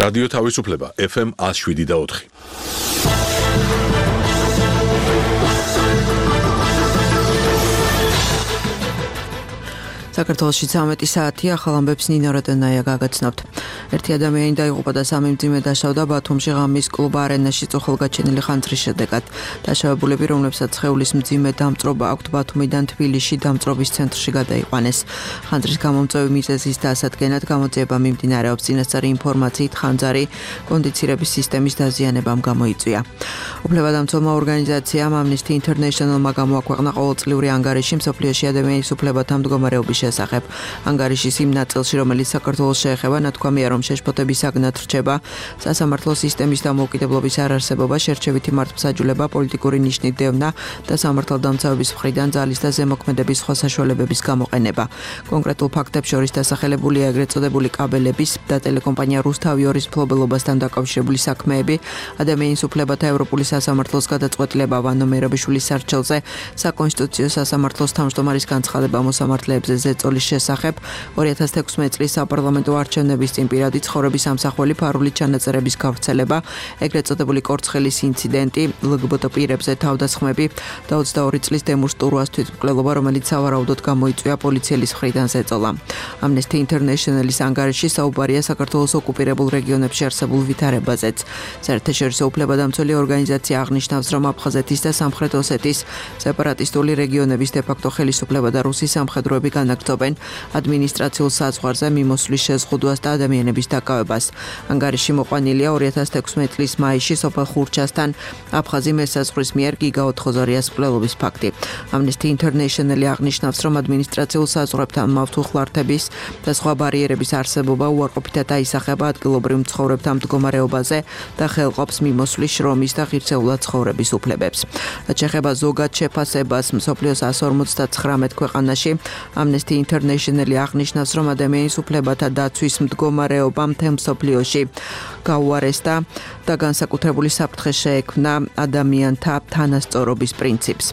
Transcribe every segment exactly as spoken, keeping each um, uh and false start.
რადიო თავისუფლება ეფ ემ one oh seven და four. საქართველოში ცამეტი საათი ახალ ამბებს ნინო რატენაია გაგაცნობთ. ერთი ადამიანი დაიღუპა და სამი მძიმე დაშავდა ბათუმში ღამის კლუბ არენაში წუხელგაჩენილი ხანძრის შედეგად. დაშავებულები, რომლებსაც სხეულის მძიმე დამწრობა აქვთ, ბათუმიდან თბილისში დამწრობის ცენტრში გადაიყვანეს. ხანძრის გამომწვევი მიზეზის დასადგენად გამოძიება მიმდინარეობს. წინასწარი ინფორმაციით ხანძარი კონდიცირების სისტემის დაზიანებამ გამოიწვია. უფლებადამცველმა ორგანიზაციამ Amnesty International-მა გამოაქვეყნა ყოველწლიური ანგარიში მსოფლიოში ადამიანის უფლებათა მდგომარეობის შესახებ. ანგარიშის იმ ნაწილში, რომელიც საქართველოს შეეხება, ნათქვამია, რომ შეშფოთების საგნად რჩება სასამართლო სისტემის დამოუკიდებლობის არარსებობა, შერჩევითი მართლმსაჯულება, პოლიტიკური ნიშნით დევნა და სამართალდამცავების მხრიდან ძალის და ზემოქმედების სხვა საშუალებების გამოყენება. კონკრეტულ ფაქტებს შორის დასახელებულია ეგრეთ წოდებული კაბელების და ტელეკომპანია რუსთავიორის მფლობელობასთან დაკავშირებული საქმეები, ადამიანის უფლებათა ევროპული სასამართლოს გადაწყვეტილება ვანო მერაბიშვილის სარჩელზე, საკონსტიტუციო სასამართლოს თავმჯდომარის განცხადება მოსამართლეებზე ზეწოლის შესახებ, ორი ათას თექვსმეტი წლის საპარლამენტო არჩევნების წინ პირადი ცხოვრების სამსახველი ფარული ჩანაწერების გავრცელება, ეგრეთ წოდებული კორცხელის ინციდენტი, ლგბტ პირებზე თავდასხმები და ოცდაორი წლის დემურს ტურვას თვითმკვლელობა, რომელიც სავარაუდოდ გამოიწვია პოლიციელის მხრიდან ზეწოლა. Amnesty International-ის ანგარიში საუბარია საქართველოს ოკუპირებულ რეგიონებში არსებულ ვითარებაზეც. საერთაშორისო უფლებადამცველი ორგანიზაცია აღნიშნავს, რომ აფხაზეთის და სამხრეთ ოსეთის სეპარატისტული რეგიონების დე-ფაქტო ხელისუფლება და რუსის სამხედროები განაგრძობენ ადმინისტრაციულ საზღვარზე მიმოსვლის შეზღუდვას და ადამიანების დაკავებას. ანგარიში მოყვანილია ორი ათას თექვსმეტი წლის მაისში სოფელ ხურჩასთან აფხაზი მესაზღვრის მიერ გიგა ოთხოზორიას მკვლელობის ფაქტი. Amnesty International აღნიშნავს, რომ ადმინისტრაციულ საზღვრებთან მავთუხლართების და სხვა ბარიერების არსებობა უარყოფითად აისახება ადგილობრივ მცხოვრებთა მდგომარეობაზე და ხელყოფს მიმოსვლის, შრომის და ღირსეულად ცხოვრების უფლებებს. რაც შეეხება ზოგად შეფასებას მსოფლიოს one forty-nine ქვეყანაში, Amnesty International აღნიშნავს, რომ ადამიანის უფლებათა დაცვის მდგომარეობა მთელ მსოფლიოში გაუარესდა და განსაკუთრებული საფრთხე შეექმნა ადამიანთა თანასწორობის პრინციპს.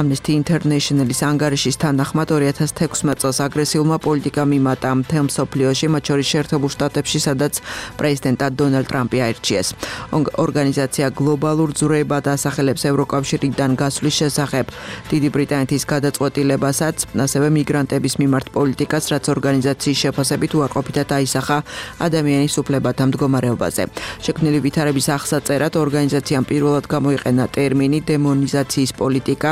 Amnesty International-ის ანგარიშის თანახმად ორი ათას თექვსმეტი წელს აგრესიულმა პოლიტიკამ იმატა მთელ მსოფლიოში, მათ შორის შეერთებულ შტატებში, სადაც პრეზიდენტად დონალდ ტრამპი აირჩიეს. ორგანიზაცია გლობალურ ძვრებად ასახელებს ევროკავშირიდან გასვლის შესახებ დიდი ბრიტანეთის გადაწყვეტილებასაც, ასევე მიგრანტების მიმართ პოლიტიკას, რაც ორგანიზაციის შეფასებით უარყოფითად აისახა ადამიანის უფლებათა მდგომარეობაზე. შექმნილი ვითარების აღსაწერად ორგანიზაციამ პირველად გამოიყენა ტერმინი დემონიზაციის პოლიტიკა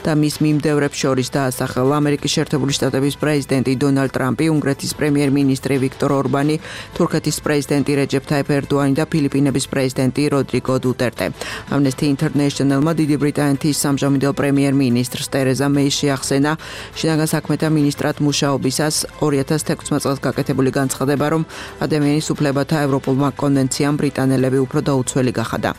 და მის მიმდევრებს შორის დაასახელა ამერიკის შეერთებული შტატების პრეზიდენტი დონალდ ტრამპი, უნგრეთის პრემიერ-მინისტრი ვიქტორ ორბანი, თურქეთის პრეზიდენტი რეჯეფ თაიფ ერდოანი და ფილიპინების პრეზიდენტი როდრიგო დუტერტე. Amnesty International-მა დიდი ბრიტანეთის სამჟამინდელ პრემიერ-მინისტრს ტერეზა მეის შეახსენა შინაგან საქმეთა მინისტრად მუშაობისას ორი ათას თექვსმეტი წელს გაკეთებული განცხადება, რომ ადამიანის უფლებათა ევროპულმა კონვენციამ ბრიტანელები უფრო დაუცველი გახადა.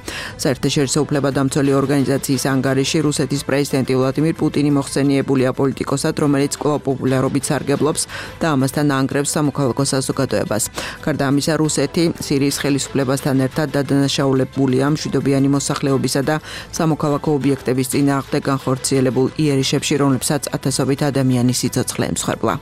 საერთაშორისო უფლებადამცველი ორგანიზაციის ანგარიში რუსეთის პრეზიდენტი ვლადიმირ პუტინი მოხსენიებულია პოლიტიკოსად, რომელიც კვლავ პოპულარობით სარგებლობს და ამასთან ანგრევს სამოქალაქო საზოგადოებას. გარდა ამისა, რუსეთი სირიის ხელისუფლებასთან ერთად დადანაშაულებულია მშვიდობიანი მოსახლეობისა და სამოქალაქო ობიექტების წინააღმდეგ განხორციელებულ იერიშებში, რომლებსაც ათასობით ადამიანი სიცოცხლე ემსხვერპლა.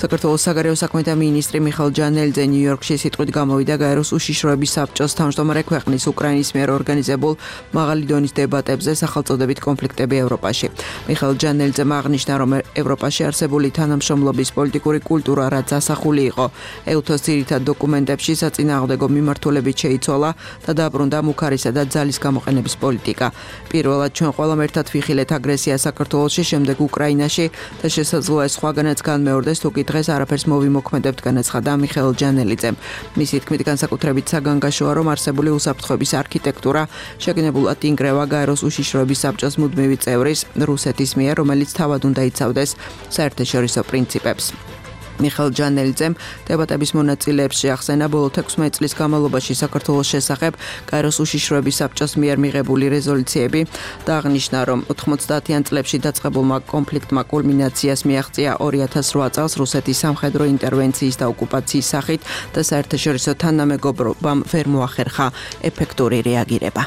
საქართველოს საგარეო საქმეთა მინისტრი მიხეილ ჯანელიძე ნიუ-იორკში სიტყვით გამოვიდა გაეროს უშიშროების საბჭოს თავმჯდომარე ქვეყნის უკრაინის მიერ ორგანიზებულ მაღალი დონის დებატებზე სახელწოდებით კონფლიქტები ევროპაში. მიხეილ ჯანელიძემ აღნიშნა, რომ ევროპაში არსებული თანამშრომლობის პოლიტიკური კულტურა, რაც ასახული იყო ეუთოს ძირითად დოკუმენტებში, საწინააღმდეგო მიმართულებით შეიცვალა და დაბრუნდა მუქარისა და ძალის გამოყენების პოლიტიკა. პირველად ჩვენ ყველამ ერთად ვიხილეთ აგრესია საქართველოში, შემდეგ უკრაინაში და შესაძლოა სხვაგანაც განმეორდეს, თუ კი დღეს არაფერს მოვიმოქმედებთ, განაცხადა მიხეილ ჯანელიძემ. მისი თქმით, განსაკუთრებით საგანგაშოა, რომ არსებული უსაფრთხოების არქიტექტურა შეგნებულად ინგრევა გაეროს უშიშროების საბჭოს მუდმივი წევრის რუსეთის მიერ, რომელიც თავად უნდა იცავდეს საერთაშორისო პრინციპებს. მიხეილ ჯანელიძემ დებატების მონაწილეებს შეახსენა ბოლო თექვსმეტი წლის განმავლობაში საქართველოს შესახებ გაეროს უშიშროების საბჭოს მიერ მიღებული რეზოლუციები და აღნიშნა, რომ ოთხმოცდაათიან წლებში დაწყებულმა კონფლიქტმა კულმინაციას მიაღწია ორი ათას რვა წელს რუსეთის სამხედრო ინტერვენციის და ოკუპაციის სახით და საერთაშორისო თანამეგობრობამ ვერ მოახერხა ეფექტური რეაგირება.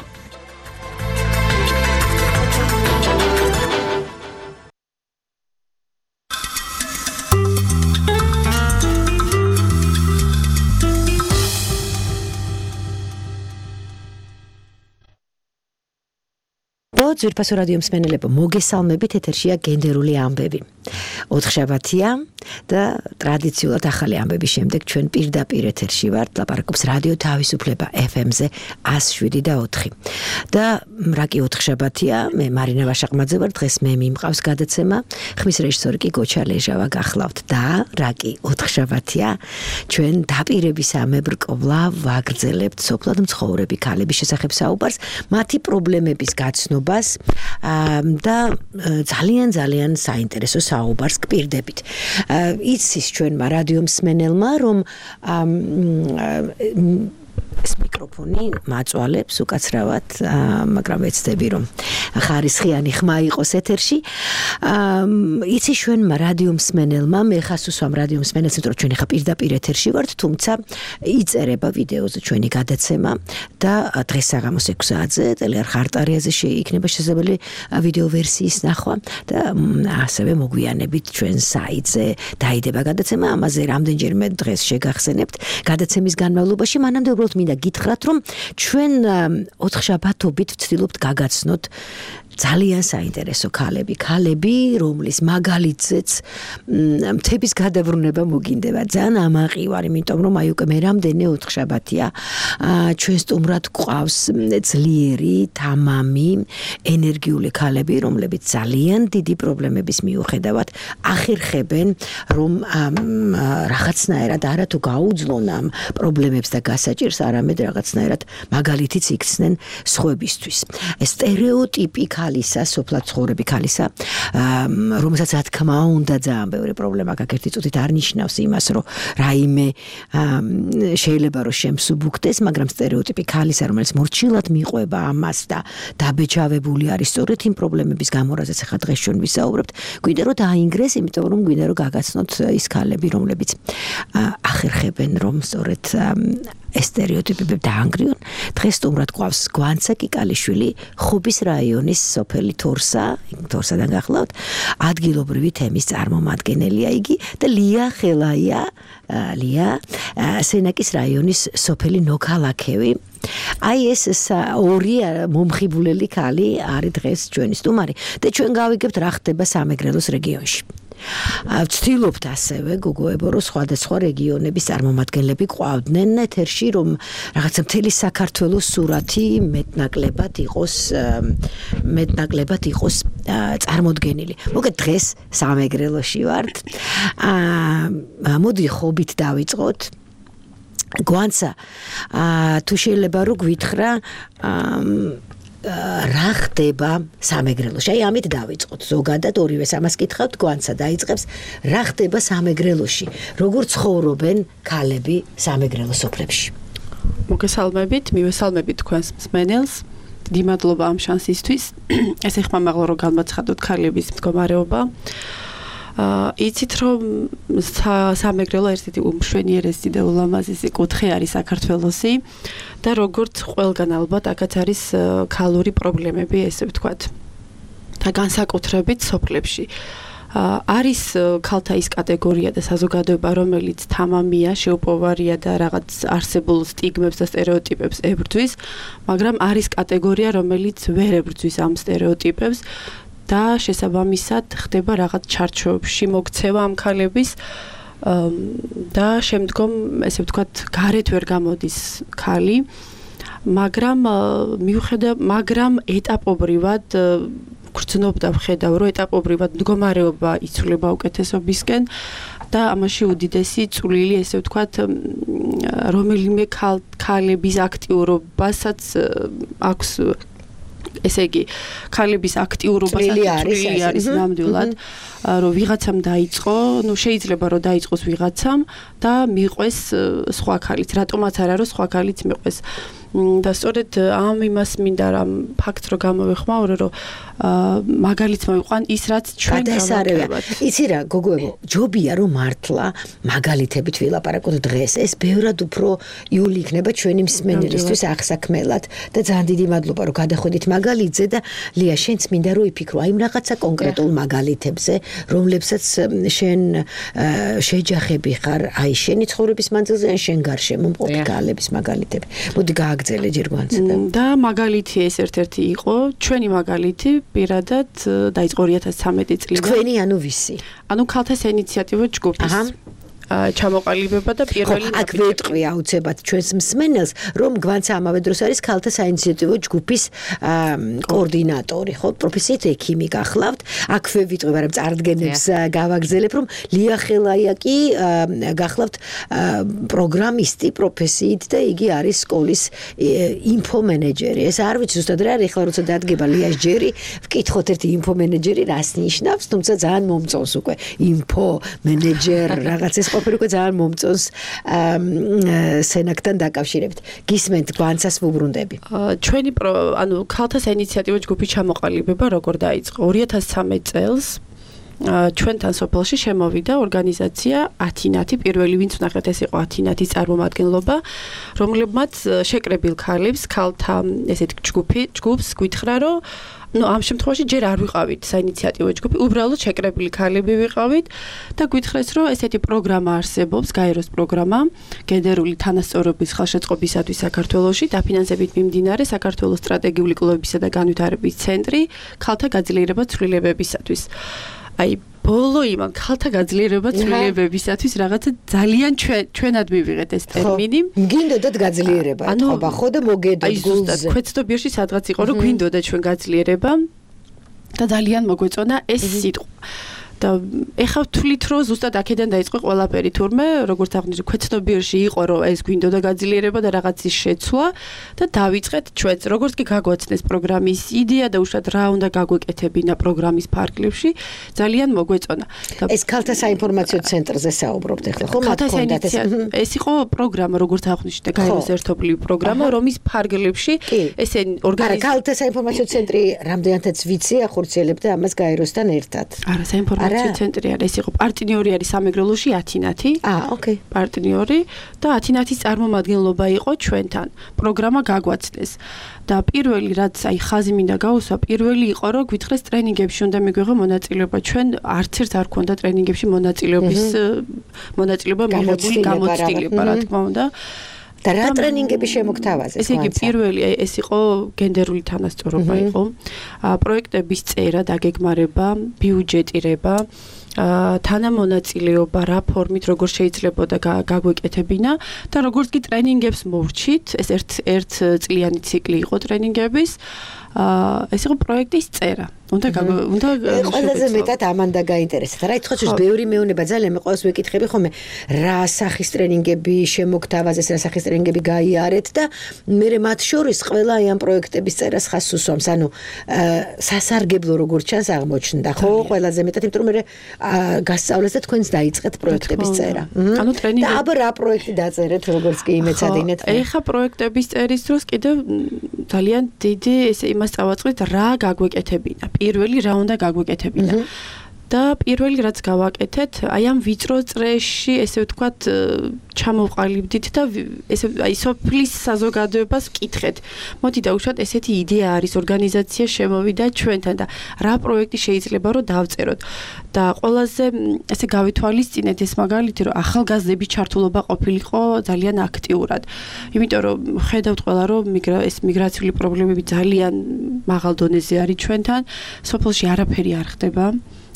ძვირფასო რადიო მსმენელებო, მოგესალმებით, ეთერშია გენდერული ამბები. ოთხშაბათია და ტრადიციულად ახალი ამბების შემდეგ ჩვენ პირდაპირ ეთერში ვართ, ლაპარაკობს რადიო თავისუფლება ეფ ემ-ზე εκατს შვიდი და ოთხი. და რა კი ოთხშაბათია, მე მარინა ვაშაყმაძე ვარ, დღეს მე მიმყავს გადაცემა, ხმის რეჟისორი კი გოჩა ლეჟავა გახლავთ და რა კი ოთხშაბათია, ჩვენ დაპირებისამებრ კვლავ ვაგრძელებთ სოფლად მცხოვრები ქალების შესახებ საუბარს, მათი პრობლემების გაცნობას და ძალიან ძალიან საინტერესო საუბარს გპირდებით. იცის ჩვენმა რადიო მსმენელმა, რომ ეს მიკროფონი მაწვალებს უკაცრავად, მაგრამ ვეცდები რომ ხარისხიანი ხმა იყოს ეთერში. იცის ჩვენმა რადიო მსმენელმა, მე ხას უსვამ რადიო მსმენელს, იმიტომ რომ ჩვენ ხა პირდაპირ ეთერში ვართ, თუმცა იწერება ვიდეოზე ჩვენი გადაცემა და დღეს საღამოს ექვს საათზე ტელეარხ არტარიაზე იქნება შესაძლებელი ვიდეო ვერსიის ნახვა და ასევე მოგვიანებით ჩვენ საიტზე დაიდება გადაცემა, ამაზე რამდენჯერმე დღეს შეგახსენებთ გადაცემის განმავლობაში, მანამდე უბრალოდ მინდა გითხრათ, რომ ჩვენ ოთხშაბათობით ვცდილობთ გაგაცნოთ ძალიან საინტერესო ქალები, ქალები, რომლის მაგალითზეც მთების გადაბრუნება მოგინდება. ძალიან ამაყი ვარ, იმიტომ რომ აი უკვე მე რამდენი ოთხშაბათია ჩვენ სტუმრად გვყავს ძლიერი, თამამი, ენერგიული ქალები, რომლებიც ძალიან დიდი პრობლემების მიუხედავად ახერხებენ, რომ რაღაცნაირად არა თუ გაუძლონ ამ პრობლემებს და გასაჭირს, არამედ რაღაცნაირად მაგალითიც იქცნენ სხვებისთვის. ეს სტერეოტიპი ქალისა, სოფლად ცხოვრები ქალისა, რომელსაც რა თქმა უნდა ძალიან ბევრი პრობლემა გაქვს, ერთი წუთით არ ნიშნავს იმას, რომ რაიმე შეიძლება რომ შემსუბუქდეს, მაგრამ სტერეოტიპი ქალისა, რომელიც მორჩილად მიყვება ამას და დაბეჭავებული არის სწორედ იმ პრობლემების გამო, რაზეც ახლა დღეს ჩვენ ვისაუბრებთ, გვინდა რომ დაინგრეს, იმიტომ რომ გვინდა რომ გაგაცნოთ ის ქალები, რომლებიც ახერხებენ, რომ სწორედ ეს სტერეოტიპები დაანგრიონ. დღეს სტუმრად გვყავს გვანცა კიკალიშვილი, ხუბის რაიონის სოფელი თორსა, თორსადან გახლავთ, ადგილობრივი თემის წარმომადგენელია იგი და ლია ხელაია, ლია სენაკის რაიონის სოფელი ნოქალაქევი. აი ეს ორი მომხიბულელი ქალი არის დღეს ჩვენი სტუმარი და ჩვენ გავიგებთ რა ხდება სამეგრელოს რეგიონში. ვცდილობთ ასევე გოგოებო, რომ სხვადასხვა რეგიონების წარმომადგენლები ყვავდნენ ეთერში, რომ რაღაცა მთელი საქართველოს სურათი მეტნაკლებად იყოს მეტნაკლებად იყოს წარმოდგენილი. მოგეთ დღეს სამეგრელოში ვართ. მოდი ხობით დავიწყოთ. გვანცა თუ შეიძლება რომ გვითხრა რა ხდება სამეგრელოში. აი ამით დავიწყოთ. ზოგადად ორივეს ამას კითხავთ, გვანცა დაიწყებს, რა ხდება სამეგრელოში, როგორ ცხოვრობენ ქალები სამეგრელო სოფლებში. მოგესალმებით, მივესალმებით თქვენს მსმენელს. დიდი მადლობა ამ შანსისთვის. ეს ეხმამაღლა რომ განმაცხადოთ ქალების მდგომარეობა. იცით რომ სამეგრელო ერთ-ერთი უმშვენიერესი და ულამაზესი კუთხე არის საქართველოსი და როგორც ყველგან ალბათ აქაც არის ქალური პრობლემები, ესე ვთქვათ. და განსაკუთრებით სოფლებში. არის ქალთა ის კატეგორია და საზოგადოება, რომელიც თამამია, შეუპოვარია და რაღაც არსებულ სტიგმებს და სტერეოტიპებს ებრძვის, მაგრამ არის კატეგორია, რომელიც ვერ ებრძვის ამ სტერეოტიპებს და შესაბამისად ხდება რაღაც ჩარჩოებში მოქცევა ამ ქალების და შემდგომ ესე ვთქვათ გარეთ ვერ გამოდის ქალი, მაგრამ მიუხედავ მაგრამ ეტაპობრივად გრძნობ და ვხედავ, რომ ეტაპობრივად მდგომარეობა იცვლება უკეთესობისკენ და ამაში უდიდესი წვლილი ესე ვთქვათ რომელიმე ქალების აქტიურობასაც აქვს, ესე იგი ქალების აქტიურობასაც წვლილი არის ნამდვილად, რომ ვიღაცამ დაიწყო, ну შეიძლება რომ დაიწყოს ვიღაცამ და მიყვეს სხვა ქალით, რატომაც არა რომ სხვა ქალით მიყვეს. და სწორედ ამ იმას მინდა რამ ფაქტს რო გამოვეხმაურო, რომ მაგალითს მოვიყვან ის რაც ჩვენ გავაკეთებთ. იცი რა, გოგოებო, ჯობია რომ მართლა მაგალითებით ვილაპარაკოთ დღეს. ეს ბევრად უფრო იული იქნება ჩვენი მსმენელისთვის აღსაქმელად და ძალიან დიდი მადლობა რომ გადახვედით მაგალითზე და ლია შენც მინდა რომ იფიქრო აი რაღაცა კონკრეტულ მაგალითებზე, რომლებსაც შენ შეჯახები ხარ, აი შენი ცხოვრების მანძილზე ან შენ გარშემო მყოფი ქალების მაგალითები. მოდი გააგრძელე ჯერ გვანცდა. და მაგალითი ეს ერთ-ერთი იყო, ჩვენი მაგალითი პირადად დაიწყო ორი ათას ცხრამეტი წლიდან. თქვენი ანუ ვისი? ანუ ქალთა საინიციატივო ჯგუფის ჩამოყალიბება და პირველი აქ ვეტყვი აუცილებლად ჩვენს მსმენელს, რომ გვანცა ამავე დროს არის ქალთა საინიციატივო ჯგუფის კოორდინატორი, ხო, პროფესიით ექიმი გახლავთ. აქვე ვიტყვი, მაგრამ წარდგენებს გავაგრძელებ, რომ ლია ხელაია კი გახლავთ პროგრამისტი პროფესიით და იგი არის სკოლის ინფომენეჯერი. ეს არ ვიცი ზუსტად რა არის, ახლა როცა დადგება ლიას ჯერი, ვკითხოთ ერთი ინფომენეჯერი რას ნიშნავს, თუმცა ძალიან მომწონს უკვე ინფომენეჯერ რაღაც ეს ყოფილი უკვე ძალიან მომწონს სენაკთან დაკავშირებით. გისმენთ გვანცას ვუბრუნდები. ჩვენი ანუ ქალთა საინიციატივო ჯგუფის ჩამოყალიბება როგორ დაიწყო? ორი ათას ცხრამეტ წელს ჩვენთან სოფელში შემოვიდა ორგანიზაცია ათინათი, პირველი ვინც ვნახეთ ეს იყო ათინათის წარმომადგენლობა, რომლებმაც შეკრებილ ქალებს, ქალთა ესეთ ჯგუფი, ჯგუფს გითხრა, რომ ну ამ შემთხვევაში ჯერ არ ვიყავით საინიციატივო ჯგუფი, უბრალოდ შეკრებილი ქალები ვიყავით და გითხრეს, რომ ესეთი პროგრამა არსებობს, გაეროს პროგრამა, გენდერული თანასწორობის ხელშეწყობისათვის საქართველოში, დაფინანსებით მიმდინარე საქართველოს სტრატეგიული კლუბებისა და განვითარების ცენტრი ქალთა გაძლიერება ცვლილებებისათვის. აი ბოლო იმან ქალთა გაძლიერება ცვლილებებისათვის რაღაცა ძალიან ჩვენად მივიღეთ ეს ტერმინი. გინდოდათ გაძლიერება, ეთქობა ხო და მოგედოთ გულზე. აი ზუსტად ქვეცდობიერში სადღაც იყო, რომ გვინდოდა ჩვენ გაძლიერება და ძალიან მოგვეწონა ეს სიტყვა. და ეხლა ვთვლით, რომ ზუსტად აქედან დაიწყო ყველაფერი, თურმე როგორც აღნიშნე, ქვეცდობიერში იყო, რომ ეს გვინდოდა გაძლიერება და რაღაცის შეცვლა და დავიწყეთ ჩვენც, როგორც კი გაგვაცნეს პროგრამის იდეა და უშუალოდ რა უნდა გაგვეკეთებინა პროგრამის ფარგლებში, ძალიან მოგვეწონა. ეს ქალთა საინფორმაციო ცენტრზე საუბრობთ ახლა, ხო? ქალთა საინიციატივო ეს იყო პროგრამა, როგორც აღნიშნე, გაეროს ერთობლივი პროგრამა, რომის ფარგლებში ესენი ორგანიზაცია. არა, ქალთა საინფორმაციო ცენტრი რამდენადაც ვიცი, ახორციელებდა ამას გაეროსთან ერთად. არა, საინფორმაციო ცენტრი არის, ეს იყო პარტნიორი არის სამეგრელოში ათინათი. აა, ოკეი. პარტნიორი და ათინათის წარმომადგენლობა იყო ჩვენთან. პროგრამა გაგვაცნეს. და პირველი რაც აი ხაზი მინდა გაუსვა, პირველი იყო, რომ გითხრეს ტრენინგებში უნდა მიგვიღო მონაწილეობა. ჩვენ არც ერთ არ ქონდა ტრენინგებში მონაწილეობის მონაწილეობა მიღებული გამოცდილება, რა თქმა უნდა. და რა ტრენინგები შემოგთავაზეს? ესე იგი პირველი ეს იყო გენდერული თანასწორობა იყო. პროექტების წერა, დაგეგმარება, ბიუჯეტირება, თანამონაწილეობა, რა ფორმით როგორ შეიძლებოდა გაგვეკეთებინა და როგორც კი ტრენინგებს მოვრჩით, ეს ერთ ერთ წლიანი ციკლი იყო ტრენინგების. ეს იყო პროექტის წერა. უნდა უნდა ყველაზე მეტად ამანდა გაინტერესდა. რა ითხოვს ის ბევრი მეუნება ძალიან მე ყოველს ვეკითხები ხოლმე რა სახის ტრენინგები შემოგთავაზეს, რა სახის ტრენინგები გაიარეთ და მე მათ შორის ყველა აი ამ პროექტების წერას ხაზს უსვამს. ანუ სასარგებლო როგორც ჩანს აღმოჩნდა, ხო? ყველაზე მეტად იმიტომ რომ მე გასწავლეს და თქვენს დაიწყეთ პროექტების წერა. ანუ ტრენინგი და აბა რა პროექტი დაწერეთ, როგორც კი იმეცადინეთ? ეხა პროექტების წერის დროს კიდევ ძალიან დიდი ესე იმას წავაწყდით რა გაგვეკეთებინა. პირველი რა უნდა გაგვეკეთებინა. და პირველი რაც გავაკეთეთ, აი ამ ვიწრო წრეში, ესე ვთქვათ, ჩამოვყალიბდით და ესე აი სოფლის საზოგადოებას ვკითხეთ. მოდი დაუშვათ, ესეთი იდეა არის, ორგანიზაცია შემოვიდა ჩვენთან და რა პროექტი შეიძლება რომ დავწეროთ. და ყველაზე ესე გავითვალისწინეთ ეს მაგალითი, რომ ახალგაზრდების ჩართულობა ყოფილიყო ძალიან აქტიურად. იმიტომ რომ ხედავთ ყველა, რომ ეს მიგრაციული პრობლემები ძალიან მაღალ დონეზე არის ჩვენთან, სოფელში არაფერი არ ხდება.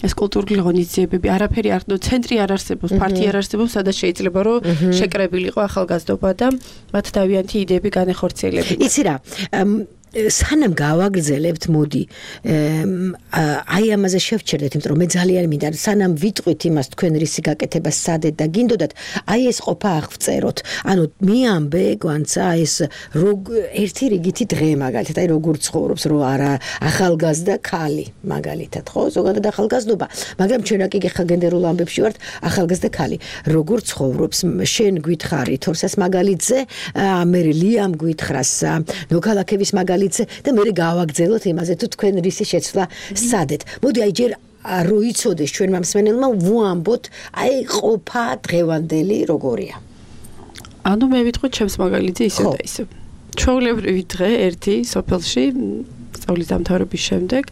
ეს კულტურული ღონისძიებები არაფერი არ ხდება, ცენტრი არ არსებობს, პარტია არ არსებობს, სადაც შეიძლება რომ შეკრებილიყო ახალგაზრდობა და მათ თავიანთი იდეები განეხორციელებინათ. იცი რა, სანამ გავაგრძელებთ, მოდი აი ამაზე შევჩერდეთ, იმიტომ რომ მე ძალიან მინდა, სანამ ვიტყვით იმას თქვენ რისი გაკეთება სადეთ და გინდოდათ, აი ეს ყოფა აღწეროთ. ანუ მიამბე გვანცა ეს ერთი რიგითი დღე მაგალითად, აი როგორ ცხოვრობს, რო არა ახალგაზრდა ქალი მაგალითად, ხო? ზოგადად ახალგაზრდობა, მაგრამ ჩვენ აქ იგეხა გენდერულ ამბებში ვართ, ახალგაზრდა ქალი, როგორ ცხოვრობს, შენ გითხარი თორსას მაგალითზე, მელიამ გითხრას ნოქალაქების მაგალითზე და მე გავაგრძელოთ იმაზე თუ თქვენ რისი შეცვლა სადეთ. მოდი აი ჯერ რო იცოდეს ჩვენმა მსმენელმა ვუამბოთ აი ყოფა დღევანდელი როგორია. ანუ მე ვიტყვი ჩემს მაგალითზე ისევ და ისევ. ჩვეულებრივი დღე ერთი სოფელში სწავლის დამთავრების შემდეგ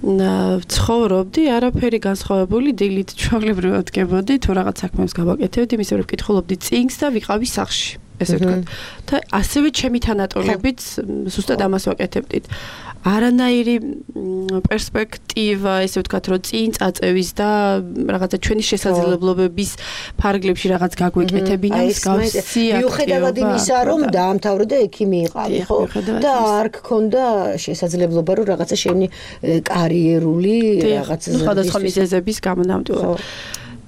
ცხოვრობდი, არაფერი განსხვავებული, დილით ჩვეულებრივად დგებოდი, თუ რაღაც საქმეს გავაკეთებდი, მისე რომ ვკითხულობდი წიგნს და ვიყავი სახლში. ესე ვთქვათ. და ასევე ჩემი თანატოლებიც ზუსტად ამას ვაკეთებდით. არანაირი პერსპექტივა, ესე ვთქვათ, რომ წინ წაწევის და რაღაცა ჩვენი შესაძლებლობების ფარგლებში რაღაც გაგვეკეთებინა მსგავსი აქტივობა. მიუხედავად იმისა, რომ დაამთავრე და ექიმი იყავი, ხო? და არ გქონდა შესაძლებლობა, რომ რაღაცა შენი კარიერული რაღაცა სხვადასხვა მიზეზების გამო ნამდვილად.